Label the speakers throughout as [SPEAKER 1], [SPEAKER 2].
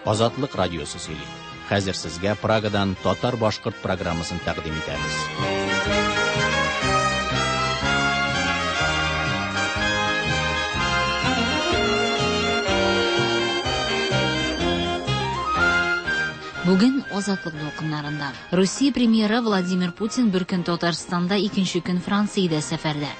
[SPEAKER 1] Азатлык радиосы сөйли. Хәзер сезгә Прагадан татар-башкорт программасын тәкъдим итәбез.
[SPEAKER 2] Бүген Азатлык дулкыннарында. Русия премьеры Владимир Путин бер көн Татарстанда, икенче көн Франциядә сәфәрдә.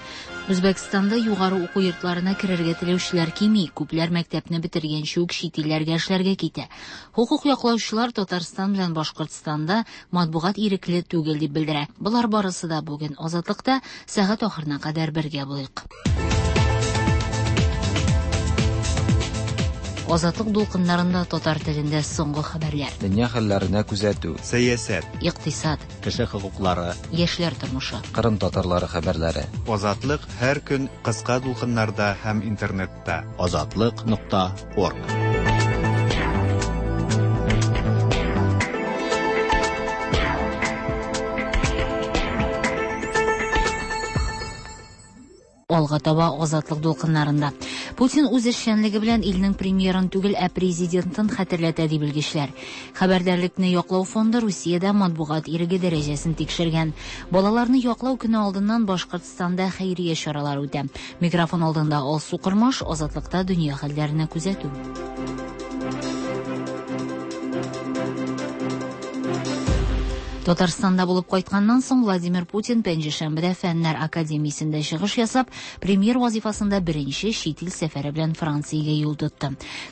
[SPEAKER 2] Үзбәкстанда югары уку йортларына керергә теләүчеләр кими, күпләр мәктәпне бетергәнче үк чит илләргә эшләргә китә. Хокук яклаучылар Татарстан белән Башкортстанда матбугат ирекле түгел дип белдерә. Болар барысы да бүген Азатлыкта сәгать ахырына кадәр бергә булыйк. Азатлык дулкыннарында татар телендә соңгы хәбәрләр.
[SPEAKER 3] Дөнья хәлләренә күзәтү.
[SPEAKER 4] Сәясәт.
[SPEAKER 2] Икътисад.
[SPEAKER 1] Кеше хокуклары.
[SPEAKER 2] Яшьләр тормышы.
[SPEAKER 3] Кырым татарлары хәбәрләре.
[SPEAKER 4] Азатлык һәр көн кыска дулкыннарда һәм интернетта.
[SPEAKER 1] Азатлык.орг.
[SPEAKER 2] Алга таба Азатлык дулкыннарында. Путин үз эшчәнлеге белән илнең премьерын түгел, ә президентын хәтерләтә, ди белгечләр. Хәбәрдарлекне яклау фонды Русиядә матбугат иреге дәрәҗәсен тикшергән. Балаларны яклау көне алдыннан Башкортстанда хәйрия чаралары үтә. Микрофон алдында Алсу Кормаш, Азатлыкта дөнья хәлләренә күзәтү. Татарстанда булып кайтканнан соң Владимир Путин пәнҗешәмбедә Фәннәр академиясендә чыгыш ясап, премьер вазифасында беренче чит ил сәфәре белән Франциягә юл тотты.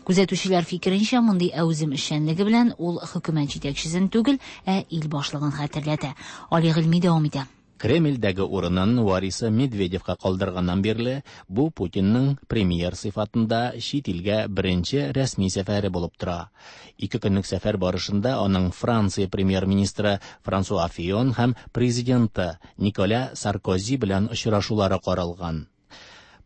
[SPEAKER 2] Күзәтүчеләр фикеренчә, мондый әүзем эшчәнлеге белән ул хөкүмәт җитәкчесен түгел, ә ил башлыгын хәтерләтә. Али Гыйльми дәвам итә.
[SPEAKER 1] Кремльдәге урынын варисы Медведевка калдырганнан бирле бу Путинның премьер сыйфатында чит илгә беренче рәсми сәфәре булып тора. Ике көнлек сәфәр барышында аның Франция премьер-министры Франсуа Фион һәм президенты Николя Саркози белән очрашулары каралган.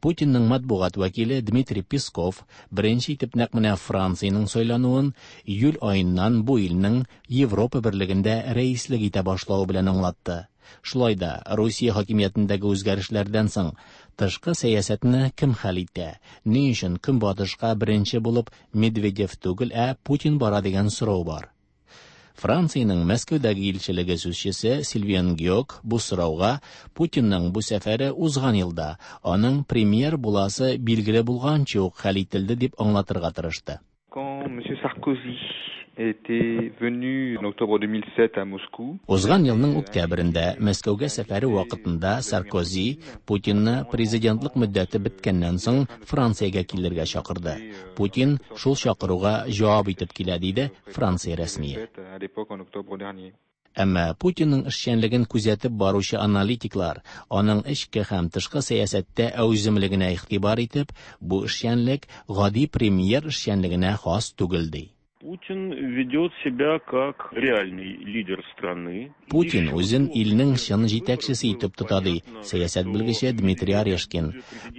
[SPEAKER 1] Путинның матбугат вәкиле Дмитрий Песков беренче итеп нәкъ менә Франциянең сайлануын июль аеннан бу илнең Европа берлегендә рәислек итә башлавы белән аңлатты. Шулай да Русия хакимиятендәге үзгәрешләрдән соң тышкы сәясәтне кем хәл итә? Ни өчен Көнбатышка беренче булып Медведев түгел, ә Путин бара дигән сорау бар. Франциянең Мәскәүдәге илчелеге сүзчесе Сильвен Геок бу сорауга Путинның бу сәфәре узган елда аның премьер буласы билгеле булганчы ук хәл ителде дип аңлатырга тырышты.
[SPEAKER 5] Quand monsieur Sarkozy était venu en octobre 2007 à Moscou.
[SPEAKER 1] Узган елның октябрендә Мәскәүгә сәфәре вакытында Саркози Путинны президентлык мөддәте беткәннән соң Франциягә килергә чакырды. Путин шул чакыруга җавап итеп килә, диде Франция рәсмие.
[SPEAKER 5] À l'époque en octobre dernier.
[SPEAKER 1] Әмма Путинның эшчәнлеген күзәтеп баручы аналитиклар аның эчке һәм тышкы сәясәттә әүземлегенә игътибар итеп, бу эшчәнлек гади премьер эшчәнлегенә хас түгел ди.
[SPEAKER 6] Путин ведет себя как реальный лидер страны.
[SPEAKER 1] Путин үзен илнең чын җитәкчесе итеп тота, ди сәясәт белгече Дмитрий Орешкин.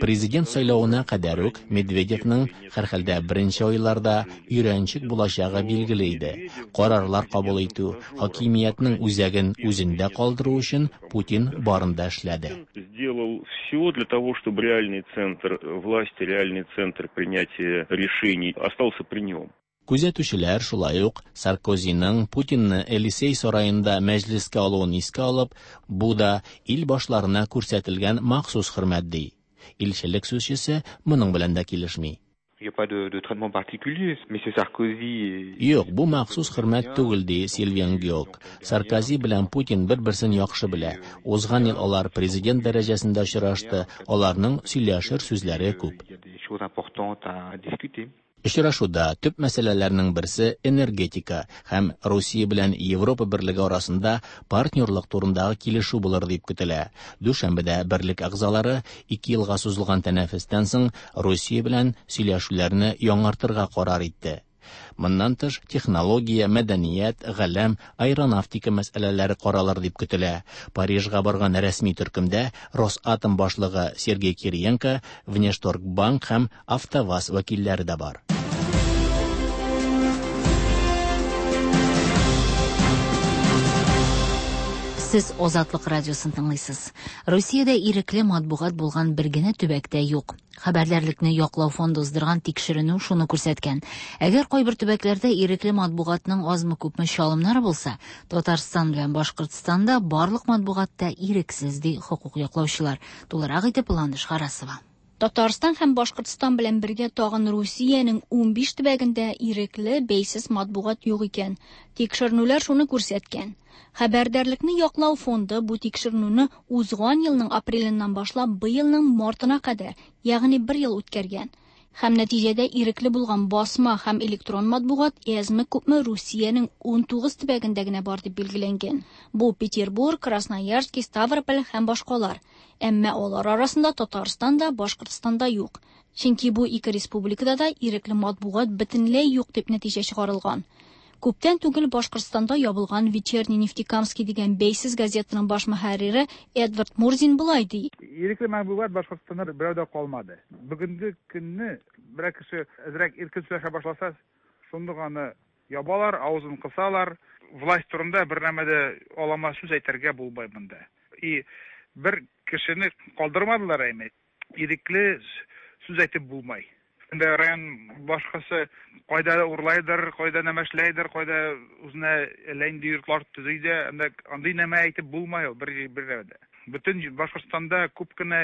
[SPEAKER 1] Президент сайлавына кадәр үк Медведевның һәрхәлдә беренче айларда өйрәнчек булачагы билгеле иде. Карарлар кабул итү, хакимиятнең үзәген үзендә калдыру өчен Путин барын да эшләде.
[SPEAKER 6] Сделал все для того, чтобы реальный центр власти, реальный центр принятия решений остался при нем.
[SPEAKER 1] Күзәтүчеләр шулай ук Саркозиның Путинны Элисей сараенда мәҗлескә алуын искә алып, бу да ил башларына күрсәтелгән махсус хөрмәт ди. Илчелек сүзчесе моның белән дә килешми.
[SPEAKER 5] Il n'y a pas de traitement particulier. Monsieur Sarkozy
[SPEAKER 1] Юк, бу махсус хөрмәт түгел, ди Сильвен Геок. Саркози белән Путин бер-берсен яхшы белә. Узган ел алар президент дәрәҗәсендә очрашты, аларның сөйләшер сүзләре күп.
[SPEAKER 5] Il y a des choses importantes à discuter.
[SPEAKER 1] Очрашуда төп мәсьәләләрнең берсе энергетика һәм Русия белән Европа берлеге арасында партнерлык турындагы килешү булыр дип көтелә. Дүшәмбедә берлек әгъзалары 2 елга сузылган тәнәфестән соң Русия белән сөйләшүләрне яңартырга карар итте. Моннан тыш технология, мәдәният, галәм, аэронавтика мәсьәләләре каралыр дип көтелә. Парижга барган рәсми төркемдә Росатом башлыгы Сергей Кириенко, Внешторгбанк һәм АвтоВАЗ вәкилләре дә бар.
[SPEAKER 2] Сез Азатлык радиосын тыңлыйсыз. Русиядә ирекле матбугат булган бер генә төбәк тә юк. Хәбәрдарлыкны яклау фонды уздырган тикшеренү шуны күрсәткән. Әгәр кайбер төбәкләрдә ирекле матбугатның азмы-күпме чалымнары булса, Татарстан белән Башкортстанда барлык матбугат та ирексез, ди хокук яклаучылар. Тулырак итеп Ландыш Харасова.
[SPEAKER 7] Татарстан һәм Башкортстан белән бергә тагын Русиянең 15 төбәгендә ирекле, бәйсез матбугат юк икән. Тикшеренүләр шуны күрсәткән. Хәбәрдарлекне яклау фонды бу тикшеренүне узган елның апреленнән башлап быелның мартына кадәр, ягъни бер ел үткәргән. Һәм нәтиҗәдә ирекле булган басма һәм электрон матбугат әзме-күпме Русиянең 19 төбәгендә генә бар дип билгеләнгән. Бу Петербург, Красноярский, Ставрополь һәм башкалар. Әмма алар арасында Татарстан да, Башкортстан да юк. Чөнки бу ике республикада да ирекле матбугат бөтенләй юк дип нәтиҗә чыгарылган. Күптән түгел Башкортстанда ябылган Вечерний Нефтекамский дигән бәйсез газетаның баш мөхәррире Эдвард Мурзин болай ди.
[SPEAKER 8] Ирекле матбугат Башкортстанда берәү дә калмады. Бүгенге көнне берәр кеше әзрәк иркен сөйләшә башласа, шундук аны ябалар, авызын кысалар. Власть турында бер нәмә дә алама сүз әйтергә булмый монда. И бер кешене калдырмадылар әйме. Ирекле сүз әйтеп булмай. Инде район башкасы кайда урлайдыр, кайда нәмәшләйдер, кайда үзенә әллә инде йортлар төзи дә, анда андый нәмә әйтеп булмай ул бер бер дә. Бөтен Башкортстанда күп кенә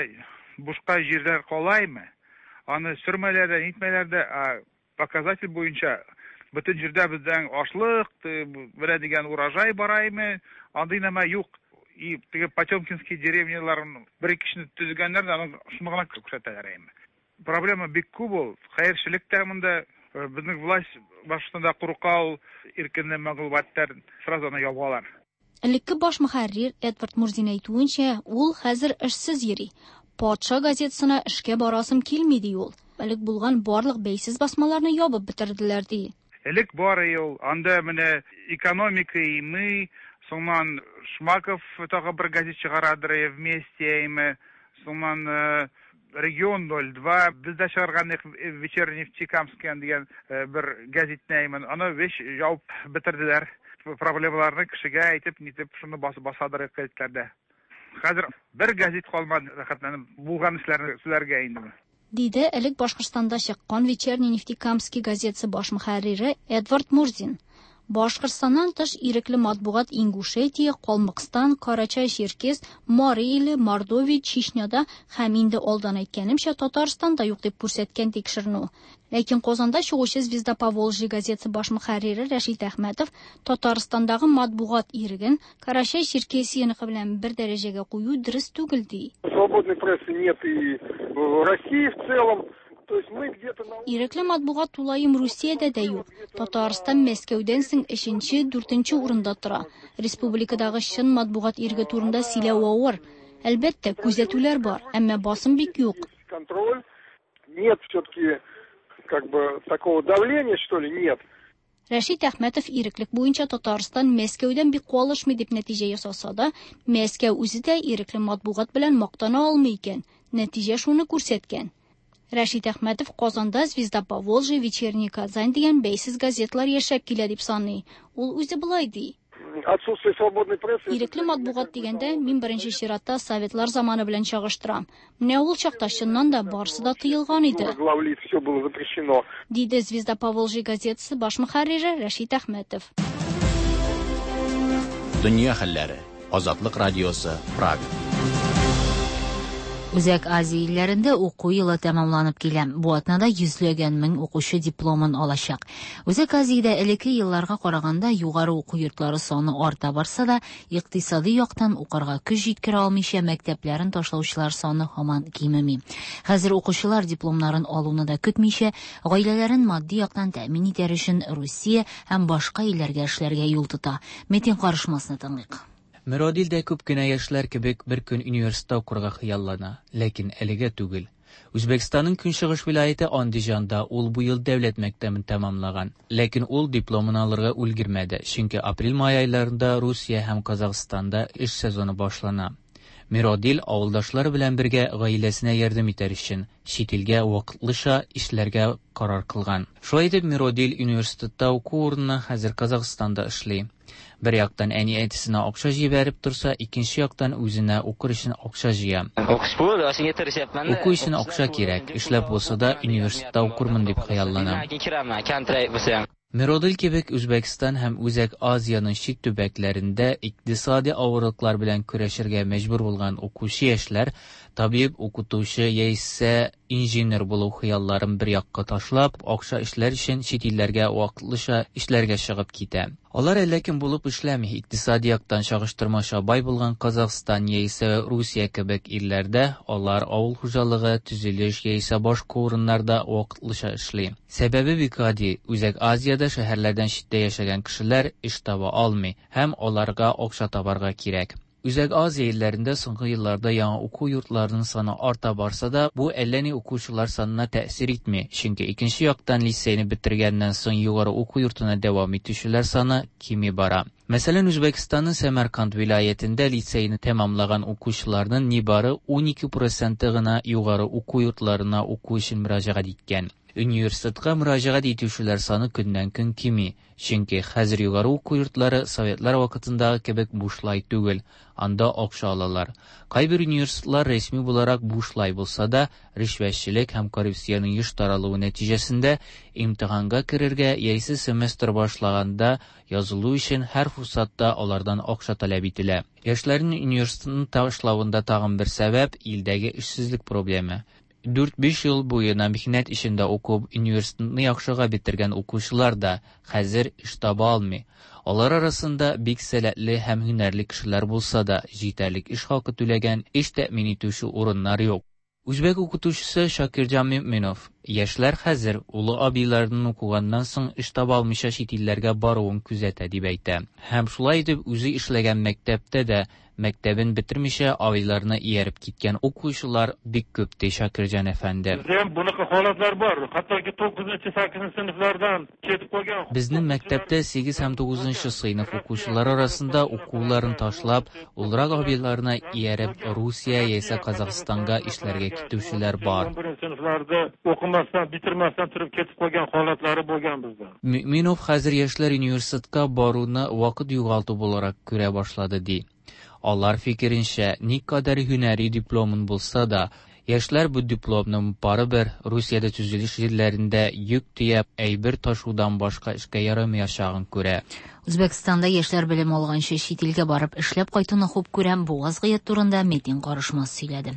[SPEAKER 8] бушка җирләр калаймы? Аны сөрмәләр дә, нитмәләр дә, а показатель буенча бөтен җирдә бездән ашлык, менә дигән урожай бараймы, андый нәмә юк. И теге Потемкинский деревняларын бер ике кешене төзегәннәр дә, аны шуны гына күрсәтәләр әйме. Проблема бик күп ул. Хәерчелек тә монда, безнең власть Башкортстанда курка ул, иркенле мәгълүматлар сразу аны ябалар.
[SPEAKER 7] Элекке баш мөхәррир Эдвард Мурзин әйтүенчә, ул хәзер эшсез йөри. Патша газетасына эшкә барасым килми, ди ул. Элек булган барлык бәйсез басмаларны ябып бетерделәр, ди.
[SPEAKER 8] Элек бар ул, анда менә экономика и мы, соңыннан Шмаков тагы бер газет чыгарадыр, вместе и мы, соңыннан Регион 02, бездә чыгарган Вечерний Нефтекамский дигән бер газетне әймен, аны веш ябып бетерделәр. Проблемаларны кешегә әйтеп, нитеп, шуны басып басадыр газетләрдә. Хәзер бер газет калмады, рәхәтләнеп булган эшләрне сөйләргә инде.
[SPEAKER 7] Диде элек Башкортстанда чыккан Вечерний Нефтекамский газетасы баш мөхәррире Эдвард Мурзин. Башкортстаннан тыш ирекле матбугат Ингушетия, Калмыкстан, Карачай-Черкес, Мари иле, Мордовия, Чечняда һәм инде алдан әйткәнемчә Татарстанда юк дип күрсәткән тикшеренү. Ләкин Казанда чыгучы Звезда Поволжья газетасы баш мөхәррире Рәшит Әхмәтов Татарстандагы матбугат иреген Карачай-Черкесияныкы белән бер дәрәҗәгә кую дөрес түгел ди.
[SPEAKER 9] Свободной прессы нет и в России в целом. То есть мы где-то на
[SPEAKER 7] Ирекле матбугат тулаем Русиядә дә юк. Татарстан Мәскәүдән соң 3-нче, 4-нче урында тора. Республикадагы чын матбугат иреге турында сөйләү авыр. Әлбәттә, күзәтүләр бар, әмма басым бик юк.
[SPEAKER 9] Контроль нет все-таки такого давления, что ли, нет.
[SPEAKER 7] Рәшит Әхмәтов иреклек буенча Татарстан Мәскәүдән бик калышмый дип нәтиҗә ясаса да, Мәскәү үзе дә ирекле матбугат белән мактана алмый икән. Нәтиҗә шуны күрсәткән. Рәшит Әхмәтов Казанда Звезда Поволжья, Вечерний Казань дигән бәйсез газетлар яшәп килә дип саный. Ул үзе болай ди.
[SPEAKER 9] Отсутствие свободной прессы.
[SPEAKER 7] Ирекле матбугат дигәндә мин беренче чиратта советлар заманы белән чагыштырам. Менә ул чакта чыннан да барысы да тыелган иде.
[SPEAKER 9] Главлит, все было запрещено.
[SPEAKER 7] Диде Звезда Поволжья газетасы баш мөхәррире Рәшит Әхмәтов.
[SPEAKER 1] Дөнья хәлләре. Азатлык радиосы, Прага.
[SPEAKER 2] Үзәк Азия илләрендә уку елы тәмамланып килә. Бу атнада йөзләгән мең укучы дипломын алачак. Үзәк Азиядә элекке елларга караганда югары уку йортлары саны арта барса да, икътисади яктан укырга көч җиткерә алмыйча мәктәпләрен ташлаучылар саны һаман кимеми. Хәзер укучылар дипломнарын алуны да көтмичә, гаиләләрен матди яктан тәэмин итәр өчен Русия һәм башка илләргә эшләргә юл тота. Метин карышмасны тыңлыйк.
[SPEAKER 10] Мөродил дә күп кенә яшьләр кебек бер көн университетта укырга хыяллана, ләкин әлегә түгел. Үзбәкстанның көнчыгыш вилаяте Андижанда ул бу ел дәүләт мәктәбен тәмамлаган, ләкин ул дипломын алырга өлгермәде, чөнки апрель-май айларында Русия һәм Казахстанда эш сезоны башлана. Миродил авылдашлары белән бергә гаиләсенә ярдәм итәр өчен чит илгә вакытлыча эшләргә карар кылган. Шулай итеп Миродил университетта уку урынына хәзер Казахстанда эшли. Бер яктан әни-әтисенә акча җибәреп торса, икенче яктан үзенә укыр өчен акча җыя. Уку өчен акча кирәк, эшләп булса да университетта укырмын дип хыялланам. Миродил кебек Үзбәкстан һәм Үзәк Азиянең чит төбәкләрендә икътисади авырлыклар белән көрәшергә мәҗбүр булган укучы яшьләр табиб, укытучы яисә инженер булу хыялларын бер якка ташлап, акча эшләр өчен чит илләргә вакытлыча эшләргә чыгып китә. Алар әллә кем булып эшләми, икътисади яктан чагыштырмача бай булган Казахстан яисә Русия кебек илләрдә алар авыл хуҗалыгы, төзелеш яисә башка урыннарда вакытлыча эшли. Сәбәбе бик гади, Үзәк Азиядә шәһәрләрдән читтә яшәгән кешеләр эш таба алмый һәм аларга акча табарга кирәк. Үзәк Азия илләрендә соңгы елларда яңа уку йортларының саны арта барса да, бу әллә ни укучылар санына тәэсир итми, чөнки икенче яктан лицейны бетергәннән соң югары уку йортына дәвам итүчеләр саны кими бара. Мәсәлән, Үзбәкстанның Сәмәрканд вилаятендә лицейны тәмамлаган укучыларның нибары 12 проценты гына югары уку йортларына уку өчен мөрәҗәгать иткән. Университетка мөрәҗәгать итүчеләр саны көннән-көн кими, чөнки хәзер югары уку йортлары советлар вакытындагы кебек бушлай түгел, анда акча алалар. Кайбер университетлар рәсми буларак бушлай булса да, ришвәтчелек һәм коррупциянең еш таралуы нәтиҗәсендә имтиханга керергә яисә семестр башлаганда язылу өчен һәр форсатта алардан акча таләп ителә. Яшьләрнең университетны ташлавында тагын бер сәбәп илдәге эшсезлек проблемы. Дүрт-биш ел буена михнәт эчендә укып, университетны яхшыга бетергән укучылар да хәзер эш таба алмый. Алар арасында бик сәләтле һәм һөнәрле кешеләр булса да, җитәрлек эш хакы түләгән, эш тәэмин итүче урыннар юк. Үзбәк укытучысы Шакирҗан Мөэминов, яшьләр хәзер олы абыйларының укыганнан соң эш таба алмыйча чит илләргә баруын күзәтә, дип әйтә. Һәм шулай итеп үзе эшләгән мәктәптә дә Мәктәбен бетермичә абыйларына ияреп киткән укучылар бик күп, ди Шакирҗан әфәнде.
[SPEAKER 11] Бездә һәм бунака халатлар бар. Хәтта тугызынчы, сигезенче сыйныфлардан кетип калган.
[SPEAKER 10] Безнең мәктәптә 8 һәм 9 сыйныф укучылары арасында укуларын ташлап, олырак абыйларына ияреп Русия яисә Казахстанга эшләргә китүчеләр бар.
[SPEAKER 11] Унберенче сыйныфларда укымастан, бетермәстән торып кетип калган халатлары булган бездә.
[SPEAKER 10] Мөэминов хәзер яшьләр университетка баруны вакыт югалту буларак күрә башлады, ди. Алар фикеренчә, никадәр һөнәри дипломын булса да, яшьләр бу дипломның барыбер Русиядә төзелеш җирләрендә йөк төяп, әйбер ташудан башка эшкә ярамаячагын күрә.
[SPEAKER 2] Үзбәкстанда яшьләр белем алганчы чит илгә барып эшләп кайтуны хуп күрә. Бу вазгыять турында Метин Карышмас сөйләде.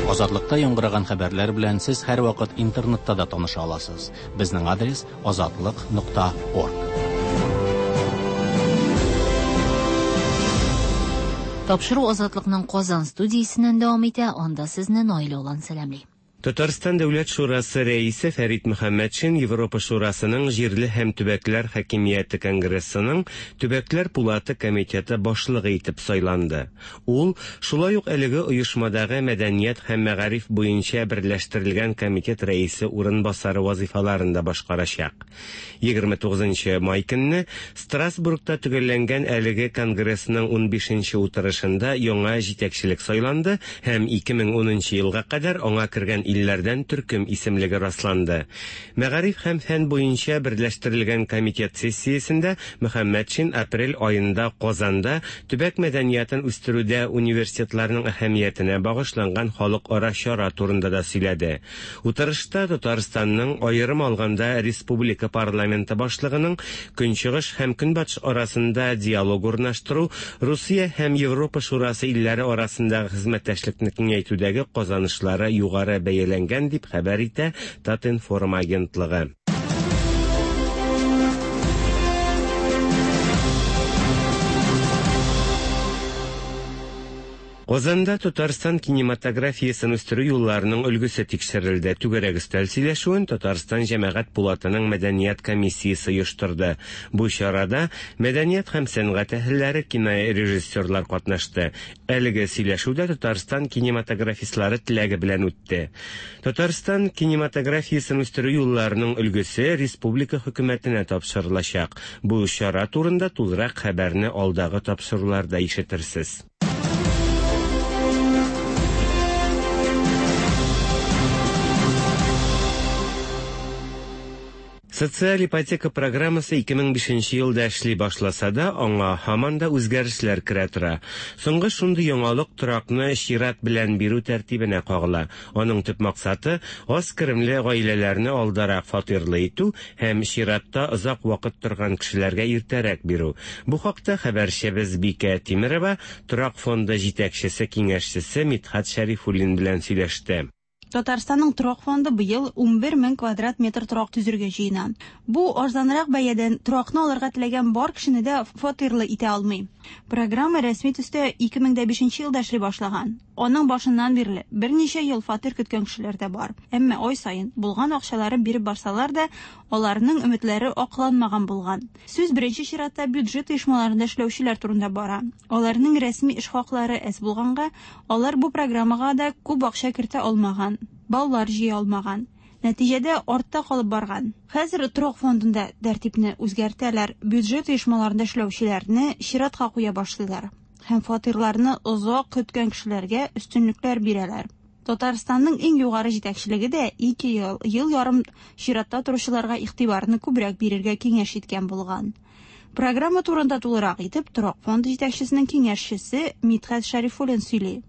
[SPEAKER 1] Азатлыкта яңгыраган хәбәрләр белән сез һәрвакыт интернетта да таныша аласыз. Безнең адрес азатлык.орг.
[SPEAKER 2] Тапшыру Азатлыкның Казан студиясеннән дәвам итә, анда сезне Наилә Олан сәламли.
[SPEAKER 12] Татарстан Дәүләт шурасы рәисе Фәрит Мөхәммәтшин Европа шурасының җирле һәм төбәкләр хакимияте конгрессының Төбәкләр пулаты комитеты башлыгы итеп сайланды. Ул шулай ук әлеге оешмадагы мәдәният һәм мәгариф буенча берләштерелгән комитет рәисе урынбасары вазыйфаларын да башкарачак. 29 май көнне Страсбургта төгәлләнгән әлеге конгрессның 15 утырышында яңа җитәкчелек сайланды һәм 2010 елга кадәр аңа кергән илләрдән төркем исемлеге расланды. Мәгариф һәм фән буенча берләштерелгән комитет сессиясендә Мөхәммәтшин апрель аенда Казанда төбәк мәдәниятен үстерүдә университетларның әһәмиятенә багышланган халыкара чара турында да сөйләде. Утырышта Татарстанның, аерым алганда республика парламенты башлыгының Көнчыгыш һәм Көнбатыш арасында диалог урнаштыру, Русия һәм Европа Шурасы илләре арасындагы хезмәттәшлекне киңәйтүдәге казанышлары югары бәяләнгән, дип хәбәр итә Татинформ агентлыгы. Казанда Татарстан кинематографиясен үстерү юлларының өлгесе тикшерелде. Түгәрәк өстәл сөйләшүен Татарстан Җәмәгать пулатының мәдәният комиссиясе оештырды. Бу чарада мәдәният һәм сәнгать әһелләре, кинорежиссерлар катнашты. Әлеге сөйләшү дә Татарстан кинематографистлары теләге белән үтте. Татарстан кинематографиясен үстерү юлларының өлгесе республика хөкүмәтенә тапшырылачак. Бу чара турында тулырак хәбәрне алдагы тапшыруларда ишетерсез. Социаль ипотека программасы 2005 елда эшли башласа да, аңа һаман да үзгәрешләр керә тора. Соңгы шундый яңалык торакны чират белән бирү тәртибенә кагыла. Аның төп максаты аз керемле гаиләләрне алдарак фатирлы итү һәм чиратта озак вакыт торган кешеләргә иртәрәк бирү. Бу хакта хәбәрчебез Бикә Тимерова торак фонды җитәкчесе киңәшчесе Мидхәт Шәрифуллин белән сөйләште.
[SPEAKER 13] Татарстанның торак фонды быел 11 мең квадрат метр торак төзергә җыена. Бу арзанрак бәядән торакны алырга теләгән бар кешене дә фатирлы итә алмый. Программа рәсми төстә 2005 елда эшли башлаган. Аның башыннан бирле берничә ел фатир көткән кешеләр дә бар. Әмма ай саен булган акчаларын биреп барсалар да, аларның өметләре акланмаган булган. Сүз беренче чиратта бюджет оешмаларында эшләүчеләр турында бара. Аларның рәсми эш хаклары әз булганга, алар бу программага да күп акча кертә алмаган, баллар җыя алмаган. Нәтиҗәдә артта калып барган. Хәзер торак фондында тәртипне үзгәртәләр, бюджет оешмаларында эшләүчеләрне чиратка куя башлыйлар һәм фатирларны озак көткән кешеләргә өстенлекләр бирәләр. Татарстанның иң югары җитәкчелеге дә 2 ел, ел ярым чиратта торучыларга игътибарны күбрәк бирергә киңәш иткән булган. Программа турында тулырак итеп торак фонды җитәкчесенең киңәшчесе Мидхәт Шәрифуллин сөйли.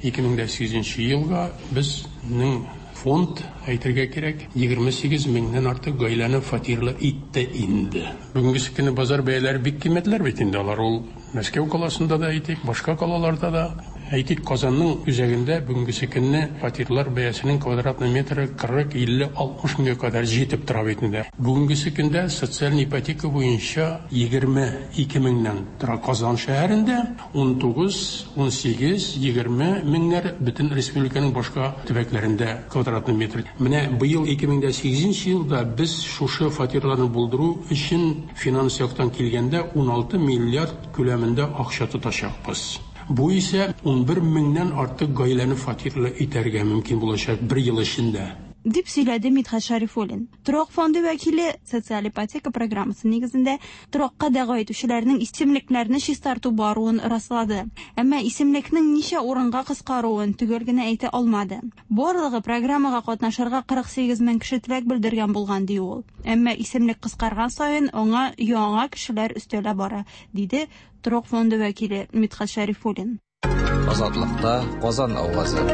[SPEAKER 14] 2008 елга безнең фонд, әйтергә кирәк, 28 меңнән артык гаиләне фатирлы итте инде. Бүгенге көндә базар бәяләре бик кыйммәтләр бит инде алар. Ул Мәскәү каласында да әйтик, башка калаларда да. Әйтик, Казанның үзәгендә бүгенге көнне фатирлар бәясенең квадратный метры 40, 50, 60 меңгә кадәр җитеп тора бит инде. Бүгенге көндә социаль ипотека буенча 22 меңнән тора Казан шәһәрендә, 19, 18, 20 меңнәр бөтен республиканың башка төбәкләрендә квадратный метр. Менә быел 2008 елда без шушы фатирларны булдыру өчен финанс яктан килгәндә 16 миллиард күләмендә акча тотачакбыз. Бу исә 11 меңнән артык гаиләне фатирлы итәргә мөмкин булачак бер ел эчендә.
[SPEAKER 13] Дип сөйләде Мидхәт Шәрифуллин. Торак фонды вәкиле социаль ипотека программасы нигезендә торакка дәгъва итүчеләрнең исемлекләрне чистарту баруын раслады. Әмма исемлекнең ничә урынга кыскаруын төгәл генә әйтә алмады. Барлыгы программага катнашырга 48 мең кеше теләк белдергән булган, ди ул. Әмма исемлек кыскарган саен аңа яңа кешеләр өстәлә бара, диде торак фонды вәкиле Мидхәт Шәрифуллин.
[SPEAKER 3] Азатлыкта Казан авазы.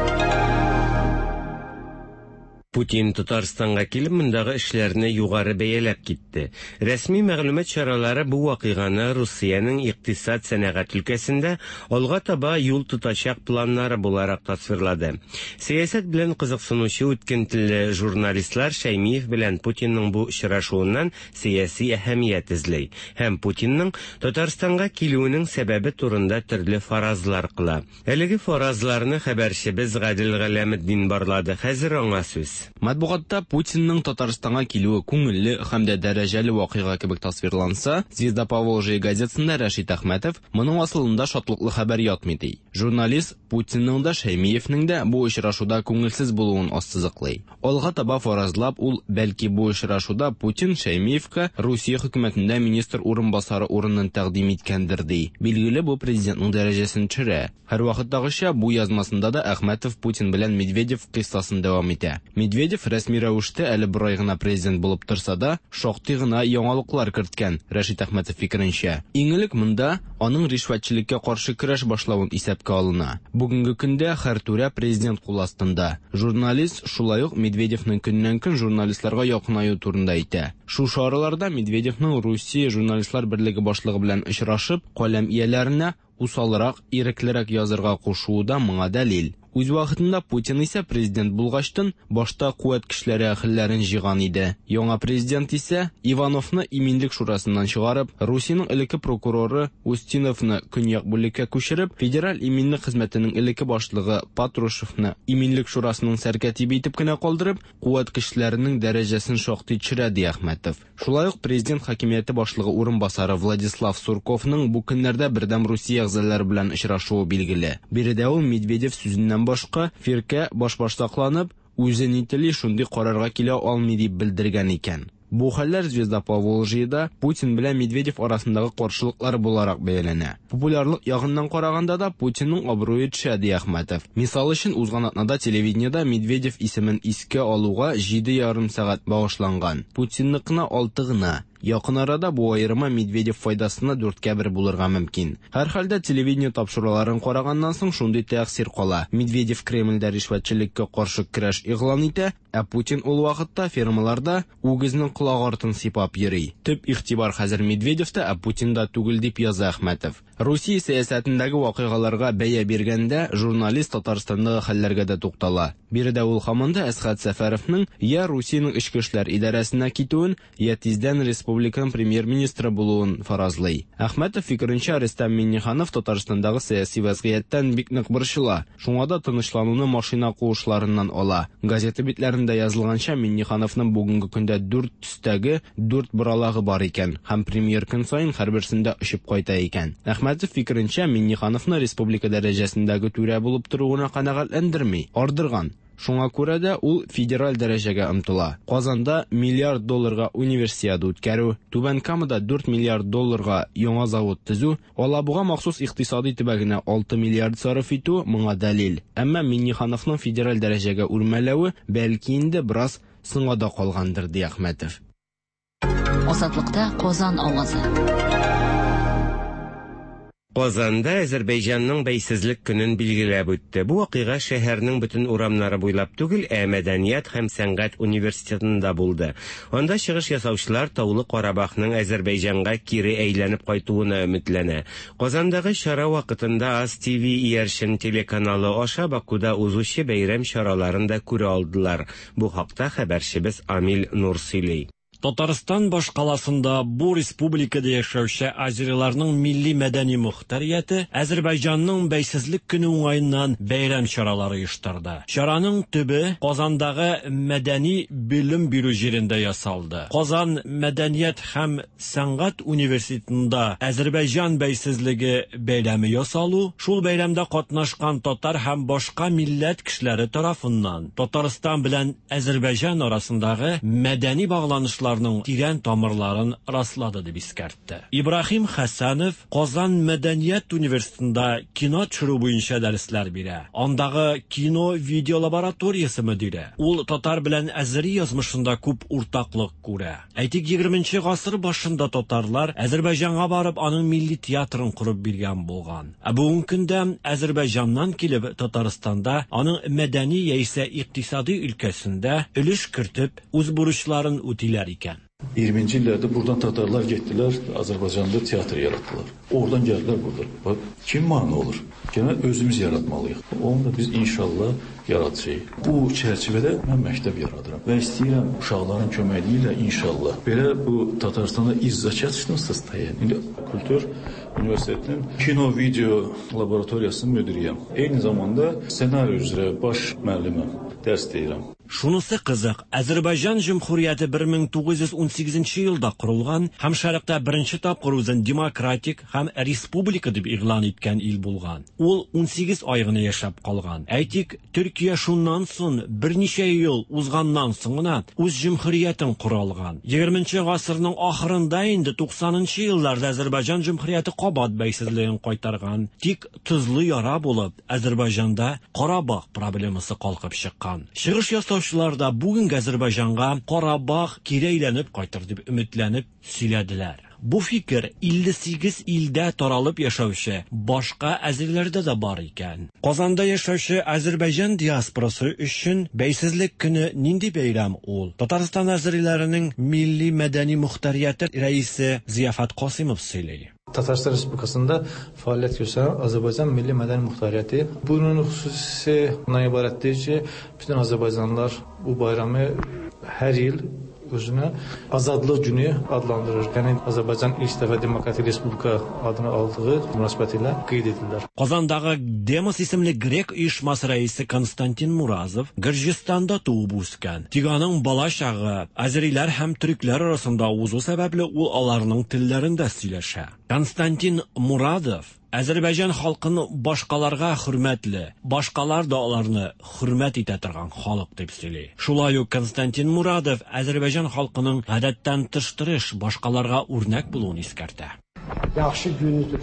[SPEAKER 12] Путин Татарстанга килеп мондагы эшләрне югары бәяләп китте. Рәсми мәгълүмат чаралары бу вакыйганы Русиянең икътисад сәнәгать өлкәсендә алга таба юл тотачак планнары буларак тасвирлады. Сәясәт белән кызыксынучы үткен телле журналистлар Шәймиев белән Путинның бу очрашуыннан сәяси әһәмият эзли һәм Путинның Татарстанга килүенең сәбәбе турында төрле фаразлар кыла. Әлеге фаразларны хәбәрчебез Гадел Галәметдин барлады. Хәзер аңа сүз.
[SPEAKER 15] Матбугатта Путинның Татарстанга килүе күңелле һәм дә дәрәҗәле вакыйга кебек тасвирланса, Звезда Поволжья газетасында Рәшит Әхмәтов моның асылында шатлыклы хәбәр ятмый ди. Журналист Путинның да Шәймиевнең дә бу очрашуда күңелсез булуын ассызыклый. Алга таба фаразлап, ул бәлки бу очрашуда Путин Шәймиевка Русия хөкүмәтендә министр урынбасары урынын тәкъдим иткәндер ди. Билгеле, бу президентның дәрәҗәсен төшерә. Һәрвакыттагыча бу язмасында да Әхмәтов Путин белән Медведев кыйссасын дәвам итә. Медведев рәсми рәвештә әле бер ай гына президент булып торса да, шактый гына яңалыклар керткән, Рәшит Әхмәтов фикеренчә. Иң элек монда аның ришвәтчелеккә каршы көрәш башлавын исәпкә алына. Бүгенге көндә һәр түрә президент кул астында. Журналист шулай ук Медведевның көннән-көн журналистларга якынаю турында әйтә. Шушы араларда Медведевның Русия журналистлар берлеге башлыгы белән очрашып, каләм ияләренә усалрак, иреклерәк язырга кушуы да моңа дәлил. Үз вакытында Путин исә президент булгачтын башта куәт көчләре әһелләрен җыйган иде. Яңа президент исә Ивановны Иминлек шурасыннан чыгарып, Русиянең элекке прокуроры Устиновны Көньяк бүлеккә күчереп, Федераль иминлек хезмәтенең элекке башлыгы Патрушевны Иминлек шурасының сәркәтибе итеп кенә калдырып, куәт көчләренең дәрәҗәсен шактый төшерә, ди Әхмәтов. Шулай ук президент хакимияте башлыгы урынбасары Владислав Сурковның бу көннәрдә Бердәм Русия әгъзалары белән очрашуы билгеле. Биредә ул Медведев сүзеннән башка, фиркә башбаштакланып, үзе ни тели, шундый карарга килә алмый дип белдергән икән. Бу хәлләр Звезда Поволжьеда Путин белән Медведев арасындагы каршылыклар буларак бәяләнә. Популярлык ягыннан караганда да Путинның абруе төшә, ди Әхмәтов. Мисал өчен, узган атнада телевидениедә Медведев исемен искә алуга 7,5 сәгать багышланган. Путинныкына алты гына. Якын арада бу аерма Медведев файдасына дүрткә бер булырга мөмкин. Һәрхәлдә, телевидение тапшыруларын караганнан соң шундый тәэсир кала, Медведев Кремльдә ришвәтчелеккә каршы көрәш игълан итә, ә Путин ул вакытта фермаларда үгезнең колак артын сыйпап йөри. Төп игътибар хәзер Медведевта, ә Путинда түгел, дип яза Әхмәтов. Русия сәясәтендәге вакыйгаларга бәя биргәндә, журналист Татарстандагы хәлләргә дә туктала. Биредә ул һаман да Әсхәт Сәфәровның я Русиянең эчке эшләр идарәсенә китүен, я тиздән республиканың премьер-министры булуын фаразлый. Әхмәтов фикеренчә, Рөстәм Миңнеханов Татарстандагы сәяси вәзгыятьтән бик нык борчыла, шуңа да тынычлануны машина куышларыннан ала. Газета битләрендә язылганча, Миңнехановның бүгенге көндә дүрт төстәге дүрт боралагы бар икән һәм премьер көн саен һәрберсендә очып кайта икән. Әхмәтов фикеренчә, Миңнехановны республика дәрәҗәсендәге түрә булып тору гына канәгатьләндерми, ардырган. Шуңа күрә дә ул федераль дәрәҗәгә омтыла. Казанда миллиард долларга Универсиада үткәрү, Түбән Камада 4 миллиард долларга яңа завод төзү, Алабуга махсус икътисадый төбәгенә 6 миллиард сарыф итү моңа дәлил. Әмма Миңнехановның федераль дәрәҗәгә үрмәләве бәлки инде бераз соңга да калгандыр, ди Әхмәтов.
[SPEAKER 2] Азатлыкта Казан авазы.
[SPEAKER 12] Казанда Әзербәйҗанның бәйсезлек көнен билгеләп үтте. Бу вакыйга шәһәрнең бөтен урамнары буйлап түгел, ә Мәдәният һәм сәнгать университетында булды. Анда чыгыш ясаучылар Таулы Карабахның Әзербәйҗанга кире әйләнеп кайтуына өметләнә. Казандагы чара вакытында AzTV иярчен телеканалы аша Бакуда узучы бәйрәм чараларын да күрә алдылар. Бу хакта хәбәрчебез Амил Нур сөйли.
[SPEAKER 16] Татарстан башкаласында бу республикада яшәүче азериларның милли-мәдәни мохтарияте Әзербайҗанның бәйсезлек көне уңаеннан бәйрәм чаралары оештырды. Чараның төбе Казандагы мәдәни белем бирү җирендә ясалды. Казан мәдәният һәм сәнгать университетында Әзербайҗан бәйсезлеге бәйрәме ясалу, шул бәйрәмдә катнашкан татар һәм башка милләт кешеләре тарафыннан Татарстан белән Әзербайҗан арасындагы мәдәни багланышларның тирән тамырларын раслады дип искәртте. Ибраһим Хәсәнов Казан мәдәният университетында кино төшерү буенча дәресләр бирә. Андагы кино-видео лабораториясе мөдире. Ул татар белән әзери язмышында күп уртаклык күрә. Әйтик, 20 гасыр башында татарлар Әзербайҗанга барып аның милли театрын корып биргән булган. Ә бүгенге көндә Әзербайҗаннан килеп Татарстанда аның мәдәни яисә икътисади өлкәсендә өлеш кертеп үз бурычларын үтиләр икән.
[SPEAKER 17] 20-ci illərdə buradan tatarlar getdilər, Azərbaycanda teatr yaratdılar. Oradan gəldilər burada. Bax, kim mane olur? Gələ özümüz yaratmalıyıq. Onu da biz inşallah yaradacağıq. Bu çərçivədə mən məktəb yaradıram və istəyirəm uşaqların köməkliyi ilə inşallah. Belə bu Tatarstanda izzaçatışnısınız İndi Kultur Universitetinin kino video laboratoriyasının müdiriyəm. Eyni zamanda ssenari üzrə baş müəlliməm, dərs deyirəm.
[SPEAKER 16] Шунысы кызык, Әзербайҗан җөмһүрияте 1918 елда корылган һәм шәрыкта беренче тапкыр үзен демократик һәм республика дип игълан иткән ил булган. Ул 18 ай гына яшәп калган. Әйтик, Төркия шуннан соң берничә ел узганнан соң гына үз җөмһүриятен кора алган. 20 гасырның ахырында инде 90 елларда Әзербайҗан җөмһүрияте кабат бәйсезлеген кайтарган. Тик тозлы яра булып Әзербайҗанда Карабах проблемасы калкып чыккан. Чыгыш ясаучылар да бүгенге Әзербайҗанга Карабах кире әйләнеп кайтыр дип өметләнеп сөйләделәр. Бу фикер 58 илдә таралып яшәүче башка әзерләрдә дә бар икән. Казанда яшәүче Әзербайҗан диаспорасы өчен бәйсезлек көне нинди бәйрәм ул? Татарстан әзерләренең милли мәдәни мохтарияте рәисе Зияфат Касимов сөйли.
[SPEAKER 18] Tataristan Respublikasında fəaliyyət göstərən Azərbaycan Milli Mədəni Muxtariyyəti. Bunun xüsusi bundan ibarətdir ki, bütün azərbaycanlılar bu bayramı hər il özünə Azadlıq Günü adlandırır. Yəni Azərbaycan ilk dəfə demokratik respublika adını aldığı münasibətilə qeyd edirlər.
[SPEAKER 16] Казандагы Демос исемле грек оешмасы рәисе Константин Муразов Гөрҗистанда туып үскән. Тик аның бала чагы әзериләр һәм төрекләр арасында узу сәбәпле ул аларның телләрендә сөйләшә. Константин Мурадов Әзербайҗан халкын башкаларга хөрмәтле, башкалар да аларны хөрмәт итә торган халык дип сөйли. Шулай ук Константин Мурадов Әзербайҗан халкының гадәттән тыш тырыш, башкаларга үрнәк булуын искәртә.
[SPEAKER 19] Yaxşı günüdür.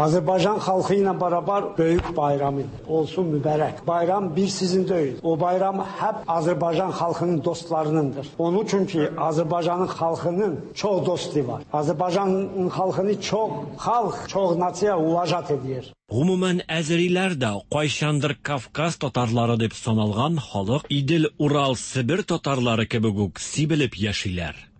[SPEAKER 19] Azərbaycan xalqı ilə beraber böyük bayramı olsun mübarək. Bayram bir sizin deyil. O bayram hep Azərbaycan xalqının dostlarınındır. Onun üçün ki Azərbaycanın xalqının çox dostu var. Azərbaycanın xalqını çox xalq, çox nasiya uvajat edir.
[SPEAKER 16] Гомумән, әзериләр дә кайчандыр Кавказ татарлары дип саналган халык Идел, Урал, Себер татарлары кебек үк сибелеп яшиләр.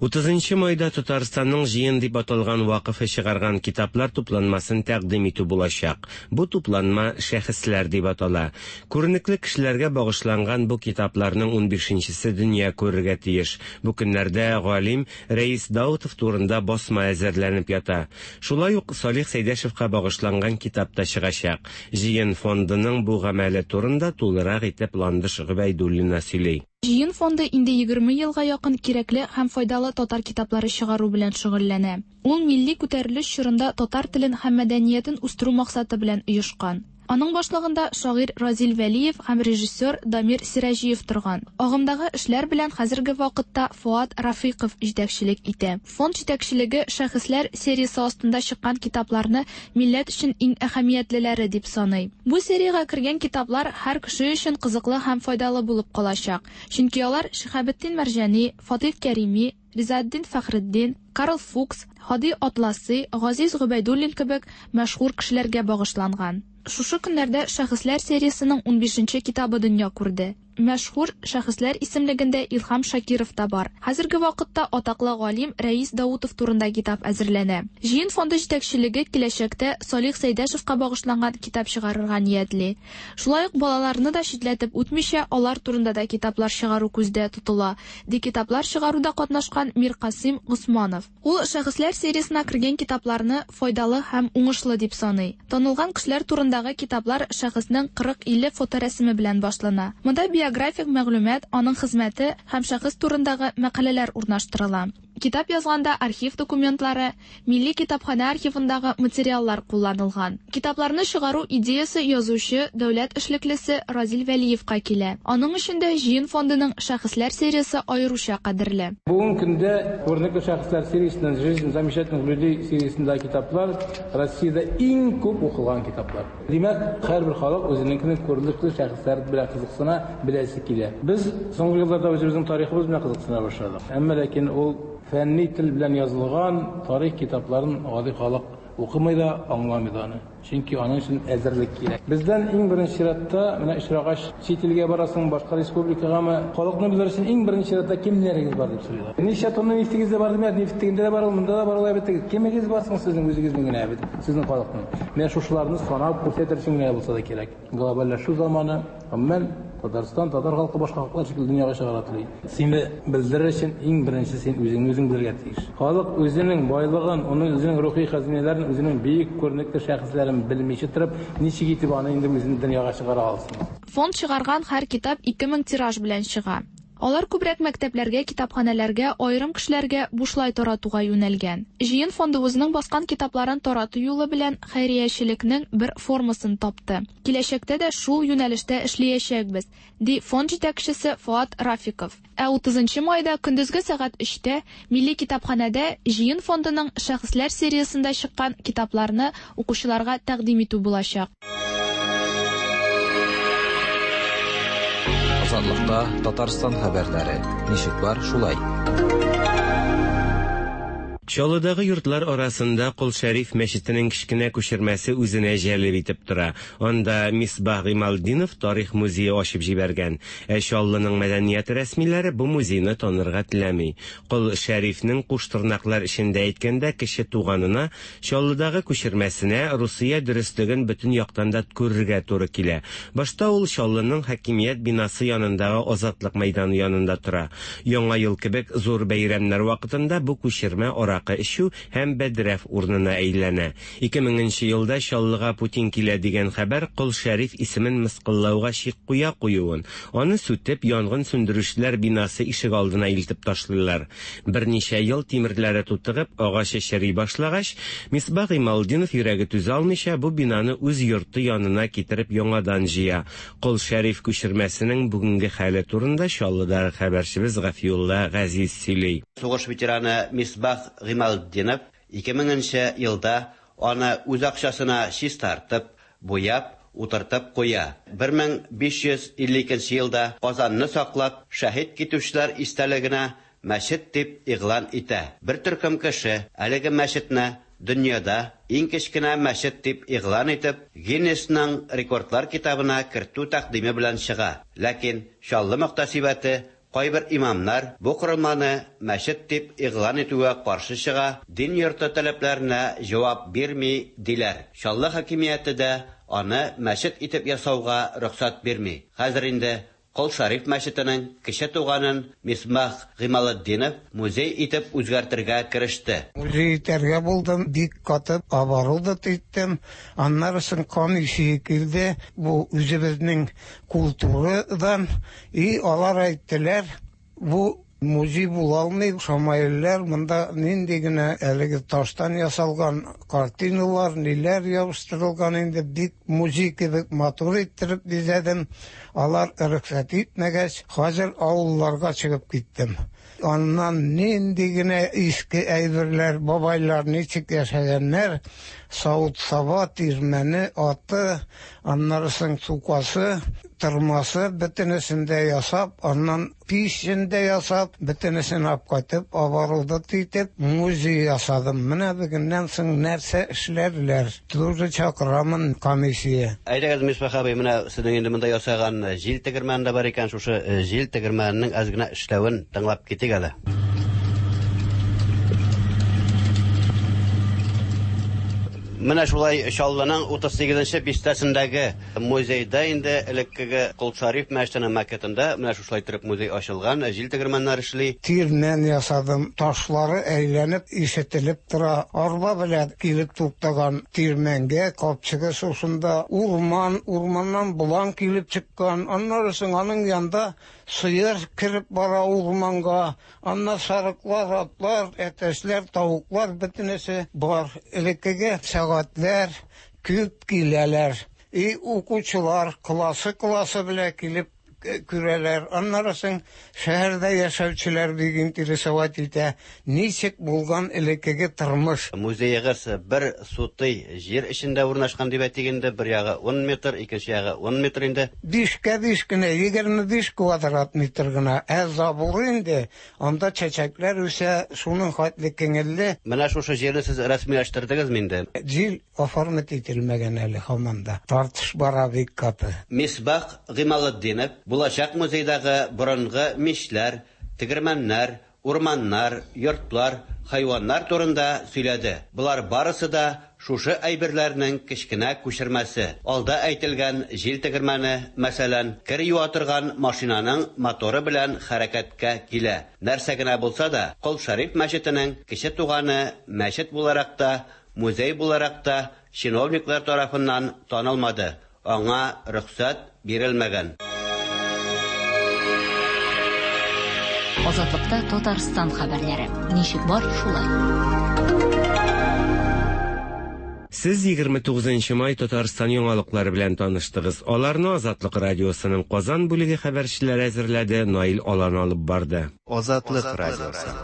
[SPEAKER 12] 30 майда Татарстанның Җыен дип аталган вакыфы чыгарган китаплар тупланмасын тәкъдим итү булачак. Бу тупланма Шәхесләр дип атала. Күренекле кешеләргә багышланган бу китапларның 15нчесе дөнья күрергә тиеш. Бу көннәрдә галим Рәис Даутов турында басма әзерләнеп ята. Шулай ук Салих Сәйдәшевка багышланган китап та чыгачак. Җыен фондының бу гамәле турында тулырак итеп Ландыш Гобәйдуллина сөйли.
[SPEAKER 20] Җыен фонды инде 20 елга якын кирәкле һәм файдалы татар китаплары чыгару белән шөгыльләнә. Ул милли күтәрелеш чорында татар телен һәм мәдәниятен үстерү максаты белән оешкан. Аның башлыгында шагыйрь Разил Вәлиев һәм режиссер Дамир Сираҗиев торган. Агымдагы эшләр белән хәзерге вакытта Фоат Рафыйков җитәкчелек итә. Фонд җитәкчелеге Шәхесләр сериясе астында чыккан китапларны милләт өчен иң әһәмиятлеләре дип саный. Бу сериягә кергән китаплар һәр кеше өчен кызыклы һәм файдалы булып калачак. Чөнки алар Шиһабетдин Мәрҗани, Фатих Кәрими, Ризаэддин Фәхретдин, Карл Фукс, Һади Атласи, Газиз Гобәйдуллин кебек мәшһүр кешеләргә багышланган. Шушы көннәрдә Шәхесләр сериясенең 15нче китабы дөнья күрде. Мәшһүр шәхесләр исемлегендә Илһам Шакиров та бар. Хәзерге вакытта атаклы галим Рәис Даутов турында китап әзерләнә. Җыен фонды җитәкчелеге киләчәктә Салих Сәйдәшевка багышланган китап чыгарырга ниятли. Шулай ук балаларны да читләтеп үтмичә, алар турында да китаплар чыгару күздә тотыла, ди китаплар чыгаруда катнашкан Миркасыйм Госманов. Ул Шәхесләр сериясенә кергән китапларны файдалы һәм уңышлы дип саный. Танылган кешеләр турындагы китаплар шәхеснең 40-50 фоторәсеме белән башлана. Монда биографик мәгълүмат, аның хезмәте һәм шәхес турындагы мәкаләләр урнаштырыла. Китап язганда архив документлары, Милли китапханә архивындагы материаллар кулланылган. Китапларны чыгару идеясе язучы, дәүләт эшлеклесе Разил Вәлиевка килә. Аның өчен дә Җыен фондының Шәхесләр сериясе аеруча кадерле.
[SPEAKER 21] Бүгенге көндә күренекле шәхесләр сериясеннән Жизнь замечательных людей сериясендәге китаплар Россиядә иң күп укылган китаплар. Димәк, һәрбер халык үзенең күренекле шәхесләр белән кызыксына, беләсе килә. Без соңгы елларда үзебезнең тарихыбыз белән кызыксына башладык. Әмма ләкин ул фәнни тел белән язылган тарих китапларын гади халык укымый да, аңламый да аны. Чөнки аның өчен әзерлек кирәк. Бездән иң беренче чиратта менә очрагач чит илгә барасың, башка республикагамы, халыкны белер өчен иң беренче чиратта кемнәрегез бар дип сорыйлар. Ничә тонна нефтегез дә бар димәк, нефть тегендә дә бар, монда да бар, алай бит. Кемегез бар соң сезнең үзегезнең генә бит, сезнең халыкның. Менә шушыларны санап күрсәтер өчен генә булса да кирәк. Глобальләшү заманы, гомумән Татарстан, татар халкы башка халыклар шикелле дөньяга чыгара тели. Сине белдерер өчен иң беренче син үзеңне үзең белергә тиеш. Халык үзенең байлыгын, оның үзенең рухи хәзинәләрен, үзенең бөек күренекле шәхесләрен белмичә торып, ничек итеп аны инде үзен дөньяга чыгара алсын?
[SPEAKER 20] Фонд чыгарган һәр китап 2000 тираж белән чыга. Алар күбрәк мәктәпләргә, китапханәләргә, аерым кешеләргә бушлай таратуга юнәлгән. Җыен фонды үзенең баскан китапларын тарату юлы белән хәйриячелекнең бер формасын тапты. Киләчәктә дә шул юнәлештә эшләячәкбез, ди фонд җитәкчесе Фоат Рафиков. Ә 30 майда көндезге сәгать 3тә Милли китапханәдә Җыен фондының Шәхесләр сериясендә чыккан китапларны укучыларга тәкъдим итү булачак.
[SPEAKER 3] Азатлыкта Татарстан хәбәрләре. Ничек бар, шулай.
[SPEAKER 12] Чаллыдагы йортлар арасында Кол Шәриф мәчетенең кечкенә күчермәсе үзенә җәлеп итеп тора. Анда Мисбах Гыймалтдинов тарих музее ачып җибәргән. Ә Чаллының мәдәният рәсмиләре бу музейны танырга теләми. Кол Шәрифнең куш тырнаклар эчендә әйткәндә кече туганына, Чаллыдагы күчермәсенә Русия дөреслеген бөтен яктан да күрергә туры килә. Башта ул Чаллының хакимият бинасы янындагы Азатлык мәйданы янында тора. Яңа ел кебек зур бәйрәмнәр вакытында бу күчермә аракы эчү һәм бәдрәф урынына әйләнә. 2000 нче елда Чаллыга Путин килә дигән хәбәр Кол Шәриф исемен мыскыллауга чик куя куюын, аны сүтеп, янгын сүндерүчеләр бинасы ишегалдына илтеп ташлыйлар. Берничә ел тимерләре тутыгып, агачы чери башлагач, Мисбах Гыймалтдинов йөрәге түзә алмыйча, бу бинаны үз йорты янына китереп яңадан җыя. Кол Шәриф күчермәсенең бүгенге хәле турында Чаллыдагы хәбәрчебез Гафиулла Газиз сөйли.
[SPEAKER 4] Сугыш ветераны Мисбах Гыймалтдинов 2000 нче елда аны үз акчасына чистартып, буяп, утыртып куя. 1552 нче елда Казанны саклап шәһит китүчеләр истәлегенә мәчет дип игълан итә. Бер төркем кеше әлеге мәчетне дөньяда иң кечкенә мәчет дип игълан итеп, Гиннесның рекордлар китабына кертү тәкъдиме белән чыга. Ләкин Чаллы мөхтәсибәте, кайбер имамнар бу корылманы мәчет дип игълан итүгә каршы чыга, дин йорты таләпләренә җавап бирми, диләр. Чаллы хакимияте дә аны мәчет итеп ясауга рөхсәт бирми. Хәзер инде Кол Шәриф мәчетенең кече туганын Мисбах Гыймалетдинов музей итеп үзгәртергә кереште.
[SPEAKER 22] Музей итәргә булдым, бик каты оборудовать иттем. Аннары соң комиссия килде, бу үзебезнең культурадан, и алар әйттеләр, бу Музей була алмый, шамаилләр, монда нинди генә әлеге таштан ясалган картиналар, ниләр ябыштырылган инде, бик музей кебек матур иттереп бизәдем. Алар рөхсәт итмәгәч, хәзер авылларга чыгып киттем. Аннан нинди генә иске әйберләр, бабайлар ничек яшәгәннәр, савыт-саба, тирмәне, аты, аннары соң сукасы, тырмасы, бөтенесен дә ясап, аннан пичен дә ясап, бөтенесен алып кайтып, оборудовать итеп, музей ясадым. Менә бүгеннән соң нәрсә эшләрләр, тоже чакырамын комиссия.
[SPEAKER 4] Әйдәгез, Мисбах абый, менә сезнең инде монда ясаган җил тегермәне дә бар икән, шушы җил тегермәненең әз генә эшләвен тыңлап китик әле. Менә шулай Чаллының 38 нче бистәсендәге музейда инде элеккеге Кол Шариф мәчетенең макетында менә шушылай иттереп музей ачылган, җил тегермәннәр эшли.
[SPEAKER 22] Тирмән ясадым, ташлары әйләнеп ишетелеп тора. Арба белән килеп туктаган тирмәнгә, капчыгы шушында, урман, урманнан болан килеп чыккан, аннары соң аның янда сыер кереп бара урманга, Анда сарыклар, атлар, әтәчләр, тавыклар бөтенесе бар. Элеккеге сәгатьләр күп киләләр. И укучылар классы-классы белән килеп күрәләр. Аннары соң шәһәрдә яшәүчеләр бик интересовать итә, ничек булган элеккеге тормыш.
[SPEAKER 4] Музеегыз бер сутый җир эчендә урнашкан дип әйтик инде, бер ягы ун метр, икенче ягы ун метр инде.
[SPEAKER 22] Бишкә биш кенә, 25 квадрат метр гына. Ә заборы инде, анда чәчәкләр үсә, шуның хәтле кеңелле.
[SPEAKER 4] Менә шушы җирне сез рәсмиләштердегезме инде?
[SPEAKER 22] Җир оформить ителмәгән әле һаман да. Тартыш бара бик каты.
[SPEAKER 4] Мисбах Гыймалетдинов булачак музейдагы борынгы мичләр, тегермәннәр, Урманнар, йортлар, хайваннар турында сөйләде. Болар барысы да шушы әйберләрнең кечкенә күчермәсе. Алда әйтелгән җил тегермәне, мәсәлән, кер юа торган машинаның моторы белән хәрәкәткә килә. Нәрсә генә булса да, Кол Шәриф мәчетенең кече туганы мәчет буларак та, музей буларак та чиновниклар тарафыннан танылмады. Аңа рөхсәт бирелмәгән.
[SPEAKER 2] Азатлыкта Татарстан хәбәрләре. Ничек бар, шулай.
[SPEAKER 12] Сез 29 май Татарстан яңалыклары белән таныштыгыз. Аларны Азатлык радиосының Казан бүлеге хәбәрчеләре әзерләде, Наил Алан алып барды.
[SPEAKER 23] Азатлык радиосы.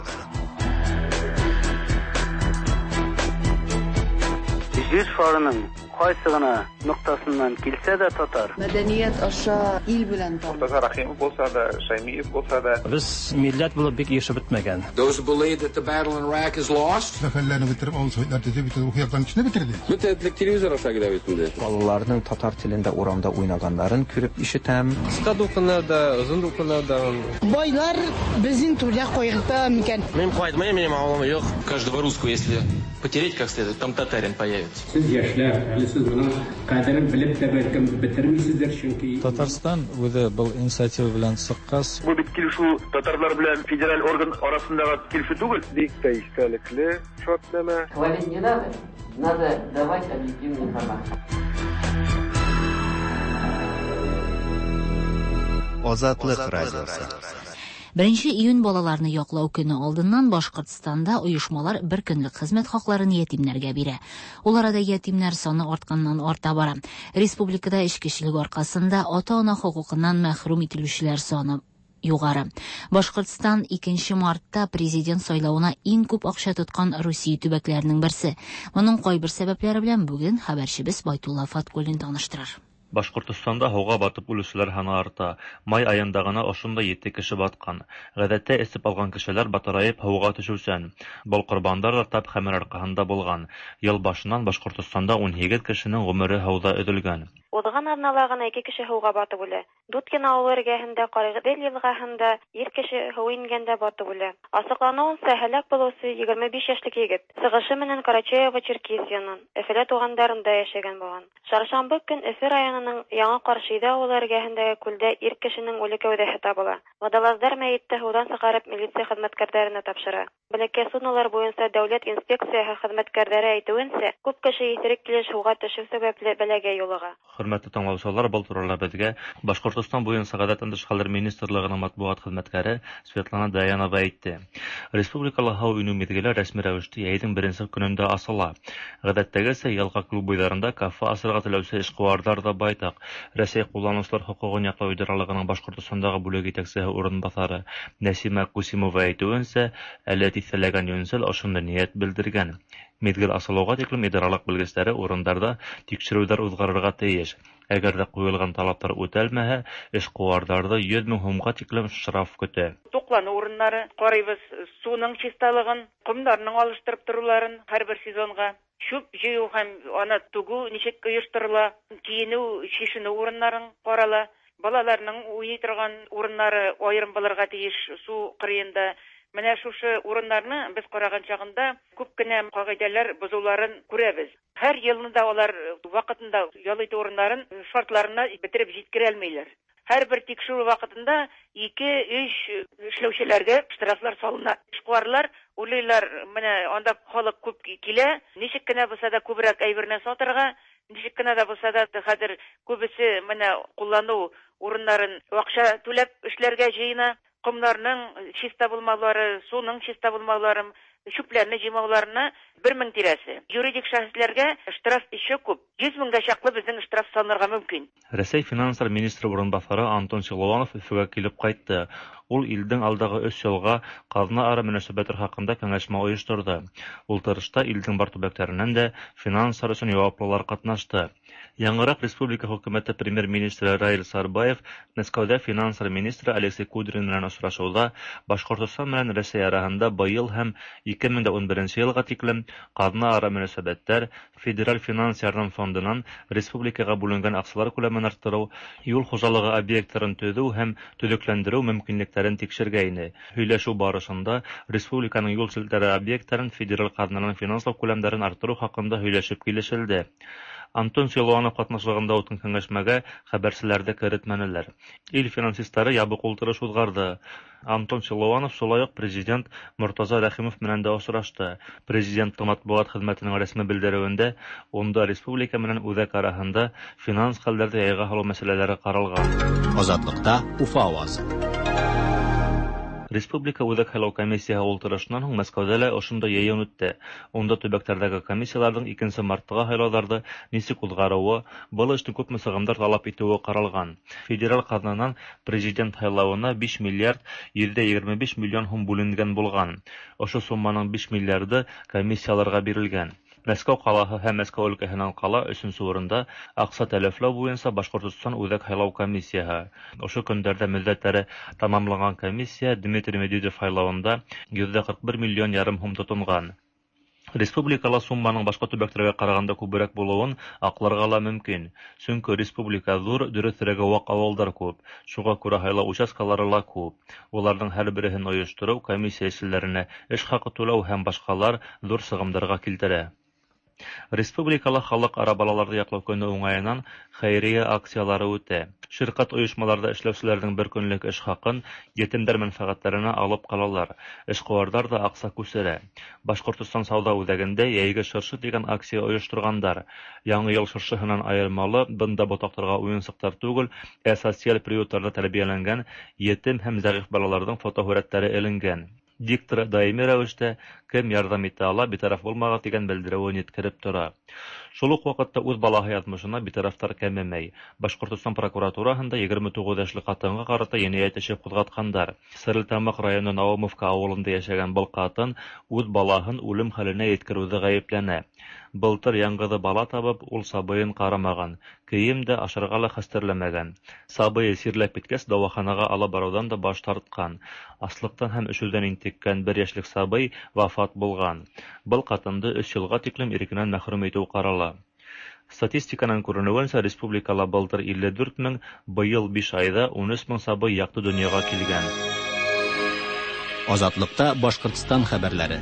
[SPEAKER 24] Җир шарының.
[SPEAKER 5] Кайсы гына ноктасыннан килсә дә татар.
[SPEAKER 6] Мәдәният аша ил белән таныш.
[SPEAKER 8] Мортаза Рәхимов булса да, Шәймиев булса да.
[SPEAKER 24] Без милләт булып бик ирешеп бетмәгән.
[SPEAKER 25] Those who believe that the battle in Iraq is lost.
[SPEAKER 26] Сәфәрләрне бетереп, авыл советлар төзеп, бөтен рухи яктан кешене бетерде.
[SPEAKER 27] Бөтен этлек телевизор аша килә бит инде.
[SPEAKER 28] Балаларның татар телендә урамда уйнаганнарын күреп ишетәм.
[SPEAKER 29] Кыска дулкыннар да, озын дулкыннар да.
[SPEAKER 30] Байлар безнең түрдә кайгырта микән?
[SPEAKER 31] Мин кайтмыйм, минем авылым юк.
[SPEAKER 32] Каждого русского, если потереть как следует, там татарин появится.
[SPEAKER 14] Сез яшьләр, әле сез моның кадерен белеп тә бәлкем бетермисездер, чөнки
[SPEAKER 18] Татарстан үзе был инициатива белән чыккач,
[SPEAKER 11] Бу бит килешү татарлар белән федераль орган арасындагы килешү түгел.
[SPEAKER 9] Бик тә истәлекле шартнамә.
[SPEAKER 33] Хвалить не надо, надо давать объективную информацию.
[SPEAKER 23] Азатлык радиосы.
[SPEAKER 2] Беренче июнь балаларны яклау көне алдыннан Башкортстанда оешмалар бер көнлек хезмәт хакларын ятимнәргә бирә. Ул арада ятимнәр саны артканнан арта бара. Республикада эчкечелек аркасында ата-ана хокукыннан мәхрүм ителүчеләр саны югары. Башкортстан 2 мартта президент сайлавына иң күп акча тоткан Русия төбәкләренең берсе. Моның кайбер сәбәпләре белән бүген хәбәрчебез Байтулла Фаткуллин таныштырыр.
[SPEAKER 34] Башкортостанда һыуға батып үлеүселәр һаны арта. Май айында ғына ошондай ете кеше батҡан. Ғәҙәттә эсеп алған кешеләр батырайып һыуға төшөүсән. Был ҡорбандар ҙа тап хәмер арҡаһында булған. Йыл башынан Башҡортостанда 18 кешенең ғүмере һыуҙа өҙөлгән.
[SPEAKER 35] Уҙған аҙнала ғына ике кеше һыуға батып үлә. Дуткин ауылы эргәһендә Ҡарағиҙел йылғаһында ир кеше һыу ингәндә батып үлә. Асыҡланыуынса, һәләк булыусы 25 йәшлек егет. Сығышы менән Карачаево-Черкесиянан, Өфөлә туғандарында йәшәгән булған. Шаршамбы көн Өфө районының Яңы Ҡаршиҙә ауылы эргәһендәге күлдә ир кешенең үле кәүҙәһе табыла. Водолаздар мәйетте һыуҙан сығарып милиция хеҙмәткәрҙәренә тапшыра. Бәләкәй суднолар буйынса дәүләт инспекцияһы хеҙмәткәрҙәре әйтеүенсә, күп кеше иҫерек килеш һыуға төшөү сәбәпле бәләгә юлыға.
[SPEAKER 34] Хөрмәтле тыңлаусылар, был турала беҙгә Башҡортостан буйынса ғәҙәттән тыш хәлдәр министрлығының матбуғат хеҙмәткәре Светлана Даянова әйтте. Республикала һыу инеү миҙгеле рәсми рәүештә йәйҙең беренсе көнөндә асыла. Ғәҙәттәгесә йылға клуб буйҙарында кафе асырға теләүсе эшҡыуарҙар ҙа байтаҡ. Рәсәй ҡулланыусылар хоҡуғын яҡлау идаралығының Башҡортостандағы бүлек етәксеһе урынбаҫары Нәсимә Кусимова әйтеүенсә, әле тиҫтәләгән йүнсел ошондай ниәт белдергән. Миҙгел асылыуға тиклем идаралыҡ белгестәре урындарҙа тикшереүҙәр уҙғарырға тейеш. Әгәр ҙә ҡуйылған талаптар үтәлмәһә, эшҡыуарҙарҙы 100 мең һумға тиклем штраф көтә.
[SPEAKER 36] Туҡланыу урыннары ҡарайбыҙ, суның чисталығын, ҡомдарының алыштырып тороуларын һәр бер сезонға. Чүп йыйыу һәм аны түгеү нисек ойошторола, кейенеү, шешенеү урыннарын ҡарала. Балаларның уйнай торған урыннары айырым булырға тейеш су ҡырыйында. Менә шушы урыннарны без ҡараған чағында күп кенә ҡағиҙәләр боҙоуларын күрәбеҙ. Һәр йылны да улар ваҡытында ял итеү урыннарын шартларына бетереп еткерә алмайҙар. Һәр бер тикшереү ваҡытында 2-3 эшләүселәргә штрафлар салына. Эшҡыуарлар уйлайлар, менә анда халыҡ күп килә, нисек кенә булһа да күберәк әйберне сатырға, нисек кенә дә булһа да хәҙер күбесе менә ҡулланыу урыннарын аҡса түләп эшләргә йыйына. Ҡомдарының чиста булмаулары, суның чиста булмаулары, чүпләрне йыймауларына 1000 тирәсе. Юридик шәхесләргә штраф еще күп. 100 меңгә чаклы безнең штраф салынырга мөмкин.
[SPEAKER 34] Рәсәй финанслар министры урынбаҫары Антон Силуанов Өфөгә килеп ҡайтты. Ул илдең алдағы 3 йылға ҡаҙна ара мөнәсәбәттәр хаҡында кәңәшмә ойошторҙо. Ултырышта илдең бар төбәктәренән дә финанслар өсөн яуаплылар ҡатнашты. Яңыраҡ республика хөкүмәте премьер-министры Раил Сарбаев Мәскәүҙә финанслар министры Алексей Кудрин менән осрашыуҙа Башҡортостан менән Рәсәй араһында быйыл һәм 2011 йылға тиклем ҡаҙна ара мөнәсәбәттәр, федераль финанс ярҙам фондынан республикаға бүленгән аҡсалар күләмен арттырыу, юл хужалығы объекттарын төҙөү һәм төҙөкләндереү мөмкинлектәрен тикшергәйне. Һөйләшеү барышында республиканың юл селтәре объекттарын федераль ҡаҙнанан финанслау күләмдәрен арттырыу хаҡында һөйләшеп килешелде. Антон Силуанов ҡатнашлығында үткән кәңәшмәгә хәбәрселәрҙе керетмәнеләр. Ил финансистары ябыҡ ултырыш уҙғарҙы. Антон Силуанов шулай уҡ президент Мортаза Рәхимов менән дә осрашты. Президенттың матбуғат хеҙмәтенең рәсми белдереүендә унда республика менән үҙәк араһында финанс хәлдәрҙе яйға һалыу мәсьәләләре ҡаралған.
[SPEAKER 1] Азатлыҡта Уфа ауазы.
[SPEAKER 34] Республика Үҙәк һайлау комиссияһы ултырышынан һуң Мәскәүҙә лә ошондай йыйын үтте. Унда төбәктәрҙәге комиссияларҙың 2 марттағы һайлауҙарҙы нисек уҙғарыуы, был эштең күпме сығымдар талап итеүе ҡаралған. Федераль ҡаҙнанан президент һайлауына 5 миллиард 125 миллион һум бүленгән булған. Ошо сумманың 5 миллиарды комиссияларға бирелгән. Мәскәү ҡалаһы һәм Мәскәү өлкәһенән ҡала өсөнсө урында аҡса тәләфләү буйынса Башҡортостан Үҙәк һайлау комиссияһы. Ошо көндәрҙә мөҙҙәттәре тамамланған комиссия Дмитрий Медведев һайлауында 141 миллион ярым һум тотонған. Республикала сумманың башҡа төбәктәргә ҡарағанда күберәк булыуын аҡларға ла мөмкин. Сөнки республика ҙур, дөрөҫөрәге ваҡ ауылдар күп. Шуға күрә һайлау участкалары ла күп. Уларҙың һәр береһен ойоштороу, комиссия эшселәренә эш хаҡы түләү һәм башҡалар ҙур сығымдарға килтерә. Республикала халыҡ-ара балаларҙы яҡлау көнө уңайынан хәйриә акциялары үтә. Ширҡәт ойошмаларҙа эшләүселәрҙең бер көнлөк эш хаҡын етемдәр мәнфәғәттәренә алып ҡалалар. Эшҡыуарҙар ҙа аҡса күсерә. Башҡортостан сауҙа үҙәгендә йәйге шыршы тигән акция ойошторғандар. Яңы йыл шыршыһынан айырмалы, бында ботаҡтарға уйынсыҡтар түгел, ә социаль приюттарҙа тәрбиәләнгән етем һәм зәғиф балаларҙың фотоһүрәттәре эленгән. Диктор даими рәүештә кем ярҙам итә ала, битараф булмағыҙ тигән белдереүен еткереп тора. Шул уҡ ваҡытта үҙ балаһы яҙмышына битарафтар кәмемәй. Башҡортостан прокуратураһында 29 йәшле ҡатынға ҡарата енәйәт эше ҡуҙғатҡандар. Стәрлетамаҡ районы Наумовка ауылында йәшәгән был ҡатын үҙ балаһын үлем хәленә еткереүҙе ғәйепләнә. Былтыр яңғыҙы бала табып, ул сабыйын ҡарамаған, кейем дә, ашарға ла хәстәрләмәгән. Сабыйы сирләп киткәс, дауаханаға алып барыуҙан да баш тартҡан. Аслыҡтан һәм өшөүҙән интеккән бер йәшлек сабый вафат булған. Был ҡатынды 3 йылға тиклем ирекенән мәхрүм итеү ҡарала. Статистиканан күренеүенсә, республикала былтыр 54 мең, быйыл 5 айҙа 13 мең сабый яҡты донъяға килгән.
[SPEAKER 1] Азатлыкта Башҡортостан хәбәрләре.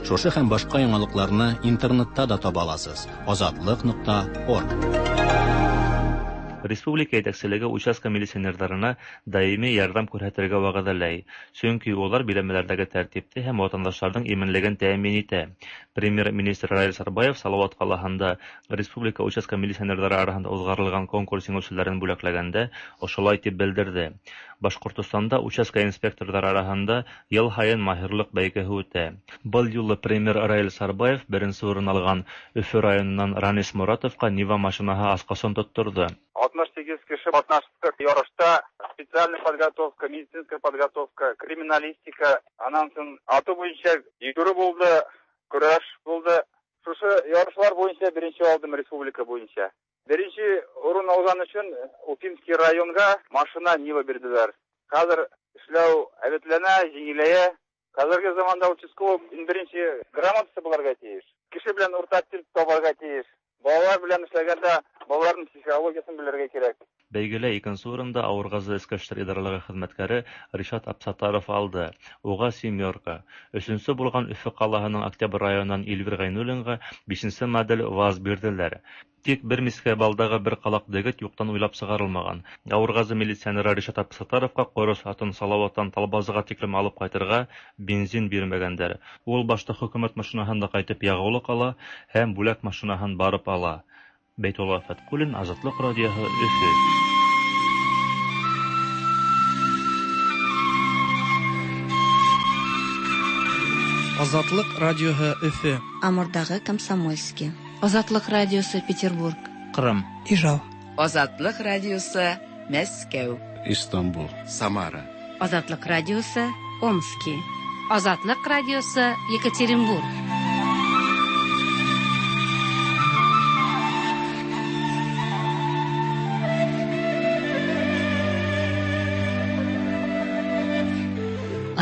[SPEAKER 1] Шушы һәм башҡа яңалыҡларны интернетта да таба аласыз. Азатлык.орг.
[SPEAKER 34] Республика етәкселеге участка милиционерҙарына даими ярҙам күрһәтергә вәғәҙәләй, сөнки улар биләмәләрҙәге тәртипте һәм ватандаштарҙың именлеген тәьмин итә. Премьер-министр Раил Сарбаев Салауат ҡалаһында республика участка милиционерҙары араһында уҙғарылған конкурс еңеүселәрен бүләкләгәндә ошолай тип белдерҙе. Башҡортостанда участка инспекторҙары араһында йыл һайын маһирлыҡ бәйгеһе үтә. Был юлы премьер Раил Сарбаев беренсе урын алған Өфө районынан Ранис Моратовҡа Нива машинаһы асҡысын тотторҙо.
[SPEAKER 3] 68 кеше ҡатнаштыҡ ярышта. Специальная подготовка, медицинская подготовка, криминалистика, анан һуң атыу буйынса йүгереү булды, көрәш булды. Шушы ярышлар буйынса беренсе алдым республика буйынса. Беренсе урын алған өсөн Уфимский районға машина Нива бирҙеләр. Хәҙер эшләү әбәтләнә, еңеләйә. Хәҙерге заманда участковый беренсе грамотасы булырға тейеш. Кеше белән уртаҡ тел табырға тейеш. Балалар белән эшләгәндә балаларның психологиясын белергә кәрәк.
[SPEAKER 34] Бәйгелә икенсе урында Ауырғазы Эске эштәр идаралығы хеҙмәткәре Ришат Абсатаров алды. Уға семерка. Өсөнсө булған Өфө ҡалаһының Октябрь районынан Илвир Ғәйнуллинға бишенсе модель ВАЗ бирҙеләр. Тик бер мискә балдағы бер ҡалаҡ дегет юҡтан уйлап сығарылмаған. Ауырғазы милиционеры Ришат Абсатаровҡа ҡорос атын Салауаттан Талбазыға тиклем алып ҡайтырға бензин бирмәгәндәр. Ул башта хөкүмәт машинаһында ҡайтып яғыулыҡ ала һәм бүләк машинаһын барып ала. Бәйтулла Фәтҡуллин, Азатлыҡ радиоһы, Өфө.
[SPEAKER 4] Азатлыҡ радиоһы, Өфө.
[SPEAKER 5] Амурдағы Комсомольский.
[SPEAKER 6] Азатлыҡ радиосы, Петербург.
[SPEAKER 1] Ҡырым.
[SPEAKER 6] Ижау. Азатлыҡ радиосы, Мәскәү.
[SPEAKER 7] Истанбул. Самара.
[SPEAKER 6] Азатлыҡ радиосы, Омски. Азатлыҡ радиосы, Екатеринбург.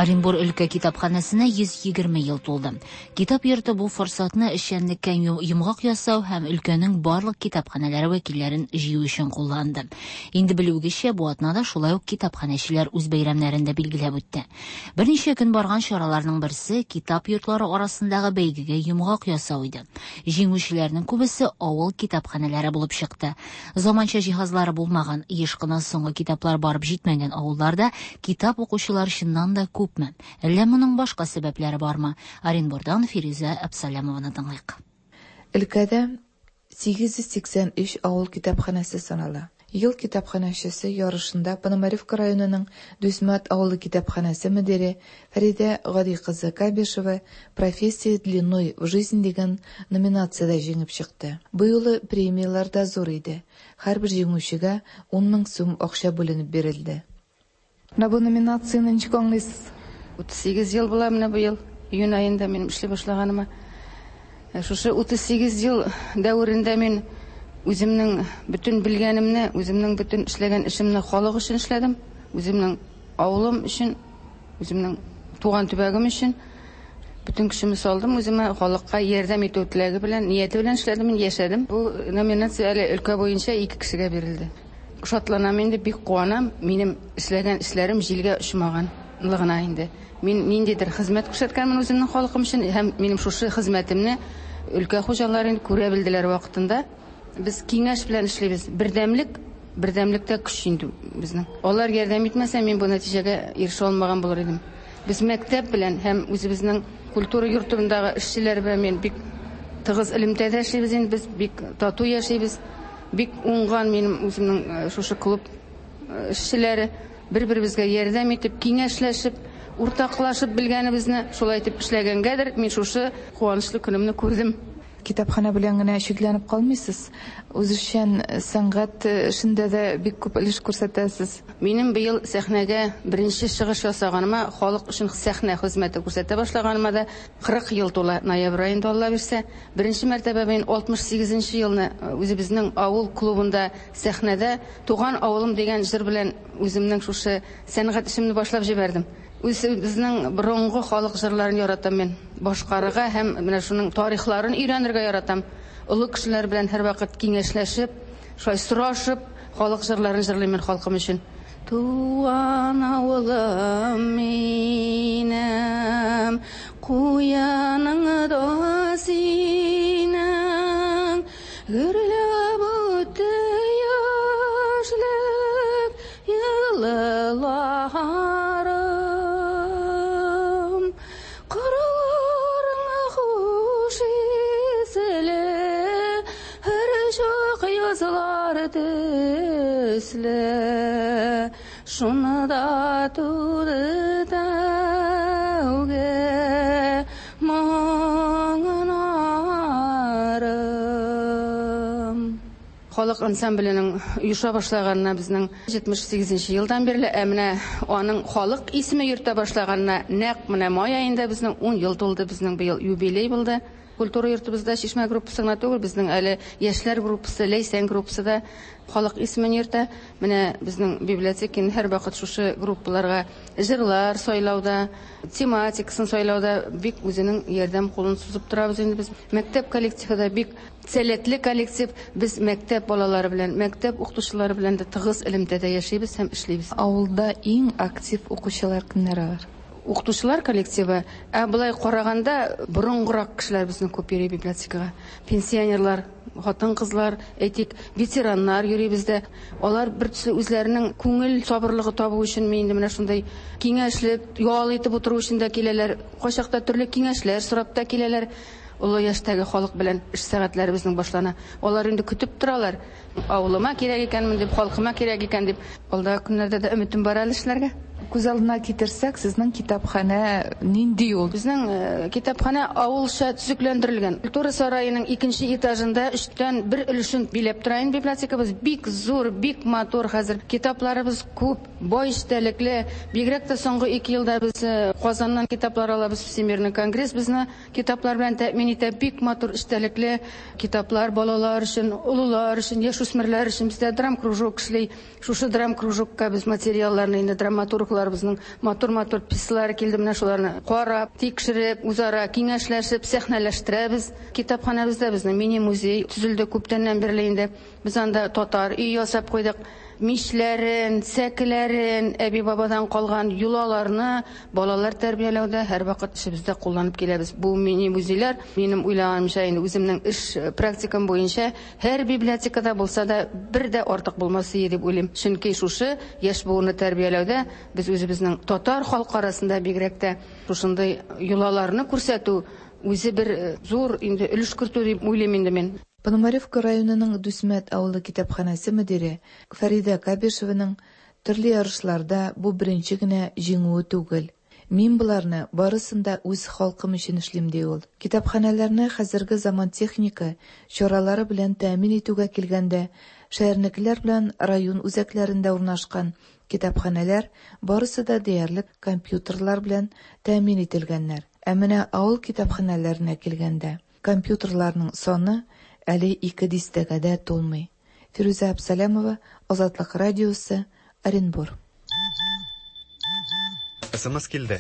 [SPEAKER 2] Оренбур өлкә китапханәсенә 120 ел тулды. Китап йорты бу форсатны эшчәнлеккә йомгак ясау һәм өлкәнең барлык китапханәләре вәкилләрен җыю өчен кулланды. Инде белүегезчә, бу атнада шулай ук китапханәчеләр үз бәйрәмнәрен дә билгеләп үтте. Берничә көн барган чараларның берсе китап йортлары арасындагы бәйгегә йомгак ясау иде. Җиңүчеләрнең күбесе авыл китапханәләре булып чыкты. Заманча җиһазлары булмаган, еш кына соңгы китаплар барып җитмәгән авылларда китап укучылар чыннан да күп. Әллә моның башка сәбәпләре бармы? Оренбурдан Фирүзә Әбсәләмованы тыңлыйк.
[SPEAKER 10] Өлкәдә 883 авыл китапханәсе санала. Ел китапханәчесе ярышында Пономаревка районының Дүсмәт авылы китапханәсе мөдире Фәридә Гади кызы Кабишева «Профессия длиной в жизнь» дигән номинациядә җиңеп чыкты. Бу юлы премияләр дә зур иде. Һәрбер җиңүчегә 10 мең сум акча бүленеп бирелде.
[SPEAKER 12] Менә бу номинацияне ничек аңлыйсыз?
[SPEAKER 6] 38 ел була менә бу ел. Июнь айында минем эшли башлаганыма.
[SPEAKER 8] Шушы 38 ел дәверендә мин үземнең бөтен белгәнемне, үземнең бөтен эшләгән эшемне халык өчен эшләдем. Үземнең авылым өчен, үземнең туган төбәгем өчен бөтен көчемне салдым. Үземә халыкка ярдәм итү теләге белән, нияте белән эшләдем, яшәдем. Бу номинация әле өлкә буенча 2 кешегә бирелде. Шатланам инде, бик куанам. Минем эшләгән эшләрем җилгә очмаганлыгына инде. Мин ниндидер хезмәт күрсәткәнмен үземнең халкым өчен һәм минем шушы хезмәтемне өлкә хуҗалары инде күрә белделәр вакытында. Без киңәш белән эшлибез. Бердәмлек, бердәмлектә көч инде безнең. Алар ярдәм итмәсә, мин бу нәтиҗәгә ирешә алмаган булыр идем. Без мәктәп белән һәм үзебезнең культура йортындагы эшчеләр белән мин бик тыгыз элемтәдә эшлибез инде, без бик тату яшибез. Бик уңган минем үземнең шушы клуб эшчеләре бер-беребезгә ярдәм итеп, киңәшләшеп, уртаклашып белгәнебезне шулай итеп эшләгәнгәдер, мин шушы куанычлы көнемне күрдем.
[SPEAKER 10] Китапханә белән генә чикләнеп калмыйсыз. Үзешчән сәнгать эшендә дә бик күп өлеш күрсәтәсез.
[SPEAKER 8] Минем быел сәхнәгә беренче чыгыш ясаганыма, халык өчен сәхнә хезмәте күрсәтә башлаганыма да 40 ел тула ноябрь аенда, Алла бирсә. Беренче мәртәбә мин 68 елны үзебезнең авыл клубында сәхнәдә Туган авылым дигән җыр белән үземнең шушы сәнгать эшемне башлап җибәрдем. Үзебезнең борынгы халык җырларын яратам мин. Башкарырга һәм менә шуның тарихларын өйрәнергә яратам. Олы кешеләр белән һәрвакыт киңәшләшеп, шулай сорашып, халык җырларын җырлыйм мин халкым өчен. Туган авылым минем, куяның да синең, гөрләп үтте яшьлек елларым. Кырларың хуш исле, һәр чак язлар төсле. Шунда туды тәүге моңнарым. Халык ансамбленең оеша башлаганына безнең 78 елдан бирле, ә менә аның халык исеме йөртә башлаганына нәкъ менә май аенда безнең 10 ел тулды, безнең быел юбилей булды. Культура йортыбызда Чишмә группасы гына түгел, безнең әле яшьләр группасы, Ләйсән группасы да халык исемен йөртә. Менә безнең библиотека һәрвакыт шушы группаларга җырлар сайлауда, тематикасын сайлауда бик үзенең ярдәм кулын сузып торабыз инде без. Мәктәп коллективы да бик сәләтле коллектив. Без мәктәп балалары белән, мәктәп укытучылары белән дә тыгыз элемтәдә яшибез һәм эшлибез.
[SPEAKER 10] Авылда иң актив укучылар кемнәр алар?
[SPEAKER 8] Укытучылар коллективы, ә былай караганда борынгырак кешеләр безнең күп йөри библиотекага. Пенсионерлар, хатын-кызлар, әйтик, ветераннар йөри бездә. Алар бер төсле үзләренең күңел сабырлыгы табу өчен инде менә шундай киңәшлек, ял итеп утыру өчен дә киләләр. Кайчакта төрле киңәшләр сорап та киләләр. Олы яшьтәге халык белән эш сәгатьләре безнең башлана. Алар инде көтеп торалар. Авылыма кирәк икәнмен дип, халкыма кирәк икән дип. Алдагы көннәрдә дә өметем бар әле эшләргә.
[SPEAKER 10] Күз алдына китерсәк, сезнең китапханә нинди ул?
[SPEAKER 8] Безнең китапханә авылча төзекләндерелгән. Культура сараеның икенче этажында өчтән бер өлешен биләп тора инде библиотекабыз. Бик зур, бик матур хәзер. Китапларыбыз күп, бай эчтәлекле. Бигрәк тә соңгы 2 елда без Казаннан китаплар алабыз. Всемирный конгресс безне китаплар белән тәэмин итә. Бик матур эчтәлекле китаплар балалар өчен, олылар өчен, яшүсмерләр өчен. Бездә драм-кружок эшли. Шушы драм-кружокка без материалларны инде драматургларыбызның матур-матур пьесалары килде, менә шуларны карап, тикшереп, үзара киңәшләшеп, сәхнәләштерәбез. Китапханәбездә безнең мини-музей төзелде күптәннән бирле инде. Без анда татар өй ясап куйдык. Мишләрен, сәкеләрен, әби-бабадан калган йолаларны балалар тәрбияләүдә һәрвакыт эшебездә кулланып киләбез. Бу мини-музейлар, минем уйлаганымча, инде үземнең эш практикам буенча һәр библиотекада булса да бер дә артык булмас иде дип уйлыйм. Чөнки шушы яшь буынны тәрбияләүдә без үзебезнең татар халкы арасында бигрәк тә шушындый йолаларны күрсәтү үзе бер зур инде өлеш кертү дип уйлыйм инде мин.
[SPEAKER 10] Пономаревка районының Дүсмәт авылы китапханәсе мөдире Фәридә Кабишеваның төрле ярышларда бу беренче генә җиңүе түгел. Мин боларны барысын да үз халкым өчен эшлим, ди ул. Китапханәләрне хәзерге заман техника чаралары белән тәэмин итүгә килгәндә, шәһәрнекеләр белән район үзәкләрендә урнашкан китапханәләр барысы да диярлек компьютерлар белән тәэмин ителгәннәр. Ә менә авыл китапханәләренә килгәндә, Компьютерларның саны әле ике дистәгә дә тулмый. Фирүзә Абсалямова, Азатлык радиосы, Оренбур.
[SPEAKER 23] СМС килде.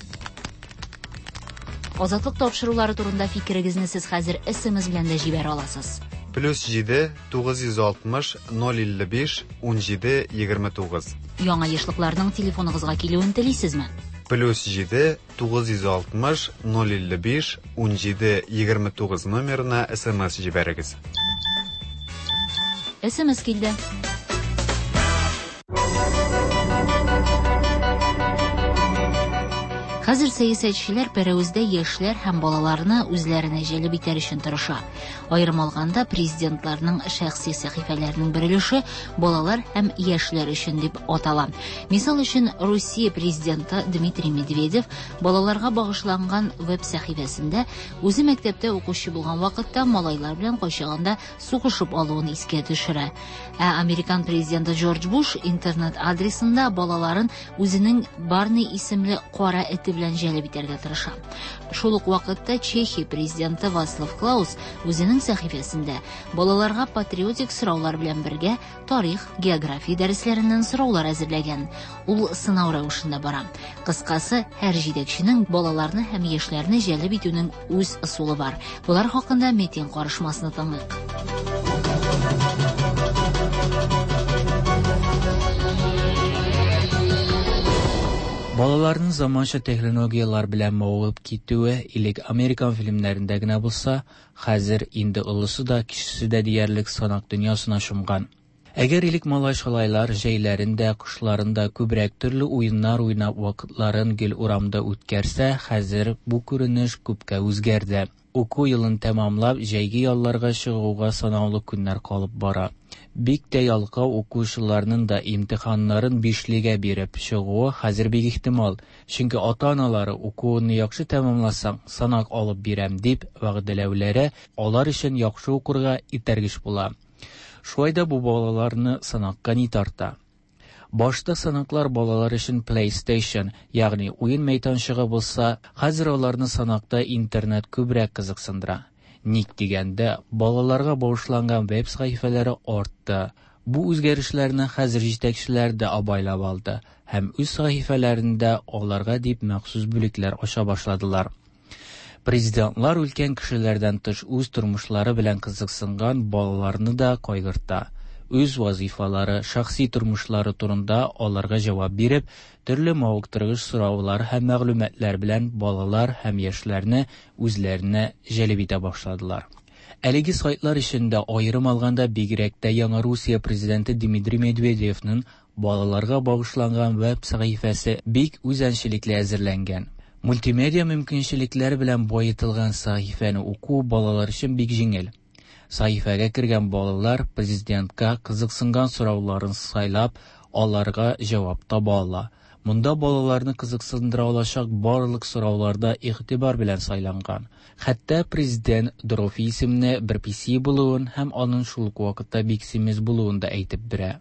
[SPEAKER 2] Азатлык тапшырулары турында фикерегезне сез хәзер СМС белән дә җибәрә аласыз.
[SPEAKER 23] Плюс 7 960 055 17 29.
[SPEAKER 2] Яңа ешлыкларның телефоныгызга килүен телисезме?
[SPEAKER 23] Плюс 7 960 055 17 29 номерына СМС җибәрегез.
[SPEAKER 2] СМС килде. Хәзер сәясәтчеләр пәрәвездә яшьләр һәм балаларны үзләренә җәлеп итәр өчен тырыша. Аерым алганда, президентларның шәхси сәхифәләренең бер өлеше балалар һәм яшьләр өчен дип атала. Мисал өчен, Русия президенты Дмитрий Медведев балаларга багышланган веб-сәхифәсендә үзе мәктәптә укучы булган вакытта малайлар белән кайчагында сугышып алуын искә төшерә. Ә американ президенты Джордж Буш интернет адресында балаларын үзенең Барни исемле кара эте белән җәлеп итәргә тырыша. Шул ук вакытта Чехия президенты Вацлав Клаус үзенең сәхифәсендә балаларга патриотик сораулар белән бергә тарих, география дәресләреннән сораулар әзерләгән. Ул сынау рәвешендә бара. Кыскасы, һәр җитәкченең балаларны һәм яшьләрне җәлеп итүнең үз ысулы бар. Болар хакында Метин карышмасны тыңлыйк.
[SPEAKER 13] Балаларның заманча технологияләр белән мавыгып китүе элек американ фильмнәрендә генә булса, хәзер инде олысы да, кечесе дә диярлек санак дөньясына чумган. Әгәр элек малай-шалайлар җәйләрен дә, кышларын да күбрәк төрле уеннар уйнап вакытларын гел урамда үткәрсә, хәзер бу күренеш күпкә үзгәрде. Уку елын тәмамлап, җәйге ялларга чыгуга санаулы көннәр калып бара. Бик тә ялкау укучыларның да имтиханнарын бишлегә биреп чыгуы хәзер бик ихтимал, чөнки ата-аналары укуыңны яхшы тәмамласаң, санак алып бирәм дип вәгъдәләүләре алар өчен яхшы укырга этәргеч була. Шулай да бу балаларны санакка ни тарта? Башта санаклар балалар өчен PlayStation, ягъни уен мәйданчыгы булса, хәзер аларны санакта интернет күбрәк кызыксындыра. Ник дигәндә, балаларга багышланган веб сәхифәләре артты. Бу үзгәрешләрне хәзер җитәкчеләр дә абайлап алды һәм үз сәхифәләрендә аларга дип махсус бүлекләр ача башладылар. Президентлар өлкән кешеләрдән тыш үз тормышлары белән кызыксынган балаларны да кайгырта. Үз вазифалары, шәхси тормышлары турында аларга җавап биреп, төрле мавыктыргыч сораулар һәм мәгълүматлар белән балалар һәм яшьләрне үзләренә җәлеп итә башладылар. Әлеге сайтлар эчендә аерым алганда бигрәк тә яңа Русия президенты Дмитрий Медведевның балаларга багышланган веб сәхифәсе бик үзенчәлекле әзерләнгән. Мультимедиа мөмкинчелекләре белән баетылган сәхифәне уку балалар өчен бик җиңел. Сәхифәгә кергән балалар президентка кызыксынган сорауларын сайлап, аларга җавап таба ала. Монда балаларны кызыксындыра алачак барлык сораулар да игътибар белән сайланган. Хәтта президент Дрофи исемле бер песи булуын һәм аның шул ук вакытта бик симез булуын да әйтеп бирә.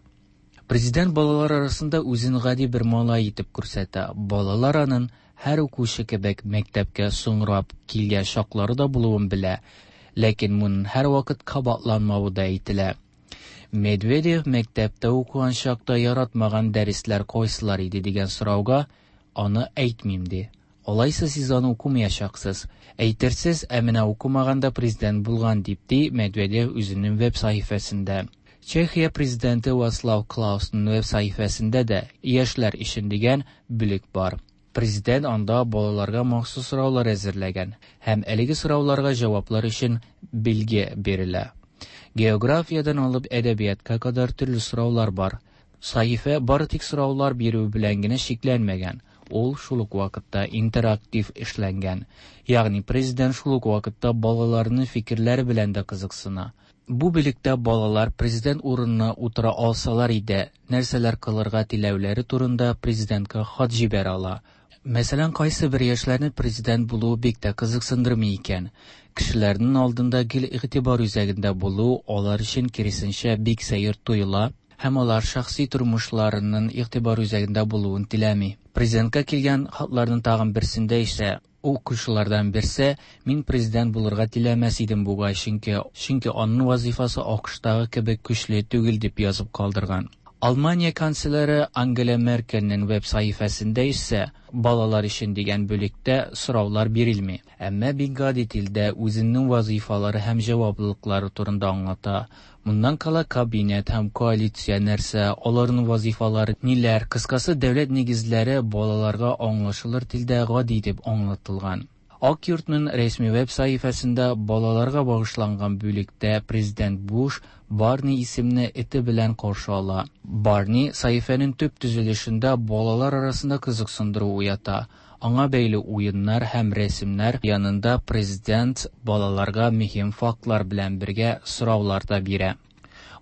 [SPEAKER 13] Президент балалар арасында үзен гади бер малай итеп күрсәтә. Балалар аның һәр укучы кебек мәктәпкә соңрап килгән чаклары да булуын белә. Ләкин моның һәрвакыт кабатланмавы да әйтелә. Медведев мәктәптә укыган чакта яратмаган дәресләр кайсылар иде дигән сорауга аны әйтмим ди. Алайса сез аны укымаячаксыз. Әйтерсез, ә менә укымаганда президент булган дип ди Медведев үзенең веб сәхифәсендә. Чехия президенты Вацлав Клаусның веб сәхифәсендә дә яшьләр өчен дигән бүлек бар. Президент анда балаларга махсус сораулар әзерләгән һәм әлеге сорауларга җаваплар өчен билге бирелә. Географиядән алып әдәбиятка кадәр төрле сораулар бар. Сәхифә бары тик сораулар бирү белән генә чикләнмәгән. Ул шул ук вакытта интерактив эшләнгән. Ягъни президент шул ук вакытта балаларның фикерләре белән дә кызыксына. Бу бүлектә балалар президент урынына утыра алсалар иде, нәрсәләр кылырга теләүләре турында президентка хат җибәрә ала. Мәсәлән, кайсы бер яшьләрне президент булуы бик тә кызыксындырмый икән. Кешеләрнең алдында гел игътибар үзәгендә булу алар өчен киресенчә бик сәер тоела һәм алар шәхси тормышларының игътибар үзәгендә булуын теләми. Президентка килгән хатларның тагын берсендә исә Укучылардан берсе, мин президент булырга теләмәс идем бугай, чөнки аның вазифасы АКШтагы кебек көчле түгел дип язып калдырган. Алмания канцлеры Ангела Меркельнең веб сәхифәсендә исә балалар өчен дигән бүлектә сораулар бирелми. Әмма бик гади телдә үзенең вазифалары һәм җаваплылыклары турында аңлата. Моннан кала кабинет һәм коалиция нәрсә, аларның вазифалары ниләр, кыскасы дәүләт нигезләре балаларга аңлашылыр телдә гади итеп аңлатылган. Ак йортның рәсми веб сәхифәсендә балаларга багышланган бүлектә президент Буш Барни исемле эте белән каршы ала. Барни сәхифәнең төп төзелешендә балалар арасында кызыксындыру уята. Аңа бәйле уеннар һәм рәсемнәр янында президент балаларга мөһим фактлар белән бергә сораулар да бирә.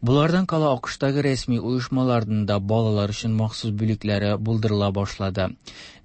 [SPEAKER 13] Болардан кала АКШтагы рәсми оешмаларның да балалар өчен махсус бүлекләре булдырыла башлады.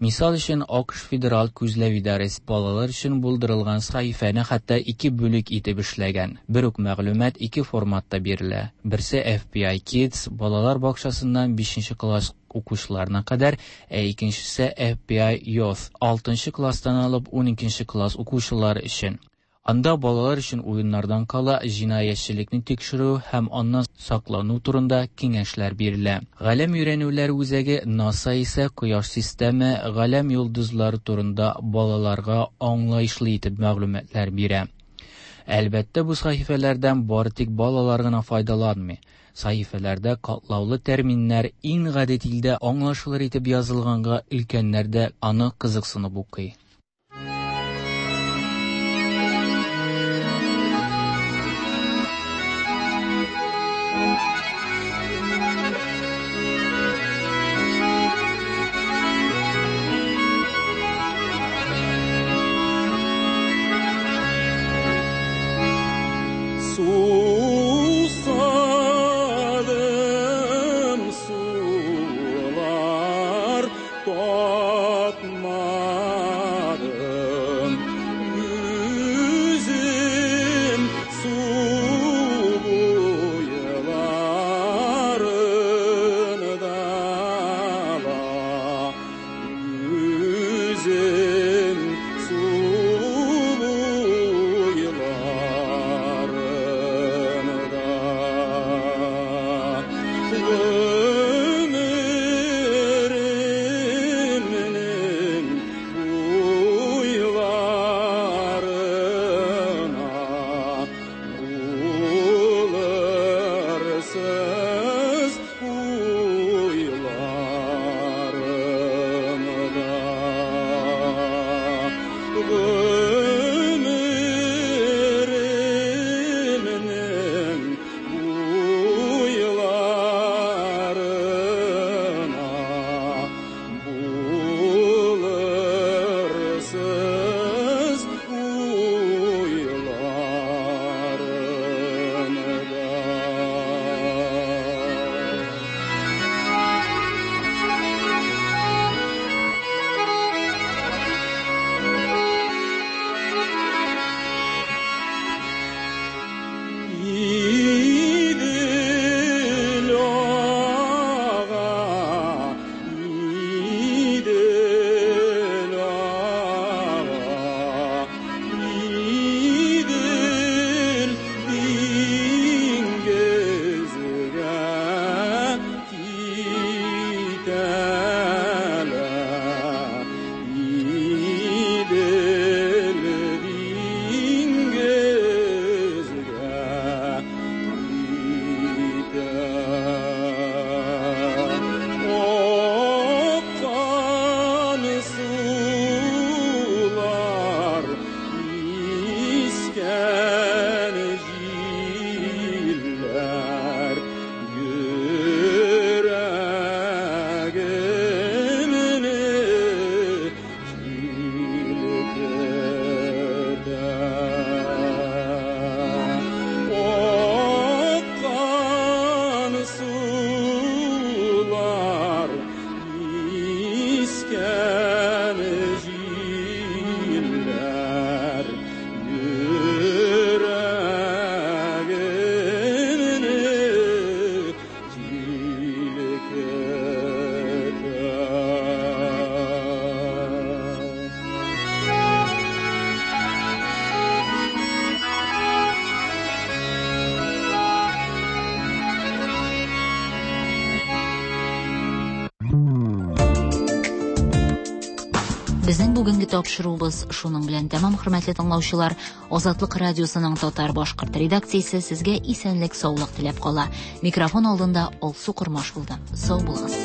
[SPEAKER 13] Мисал өчен, АКШ Федераль күзләү идарәсе балалар өчен булдырылган сәхифәне хәтта ике бүлек итеп эшләгән. Бер үк мәгълүмат ике форматта бирелә. Берсе FBI Kids балалар бакчасыннан 5 класс укучыларына кадәр, ә икенчесе FBI Youth 6 класстан алып 12 класс укучылары өчен. Анда балалар өчен уеннардан кала җинаятьчелекне тикшерү һәм аннан саклану турында киңәшләр бирелә. Галәм өйрәнүләр үзәге НАСА исә Кояш системы, галәм йолдызлары турында балаларга аңлаешлы итеп мәгълүматлар бирә. Әлбәттә, бу сәхифәләрдән бары тик балалар гына файдаланмый. Сәхифәләрдә катлаулы терминнар иң гади телдә аңлашылыр итеп язылганга өлкәннәр дә аны кызыксынып укый.
[SPEAKER 15] Susadım sular tatmadım. Üzüm su boylarında la. Üzüm su boylarında. Ömrümün boylarına bulursuz huylarında. Ömrümün boylarına bulursuz huylarında.
[SPEAKER 2] Безнең бүгенге тапшыруыбыз шуның белән тәмам, хөрмәтле тыңлаучылар. Азатлык радиосының татар-башкорт редакциясе сезгә исәнлек-саулык теләп кала. Микрофон алдында Алсу Кормаш булды. Сау булыгыз.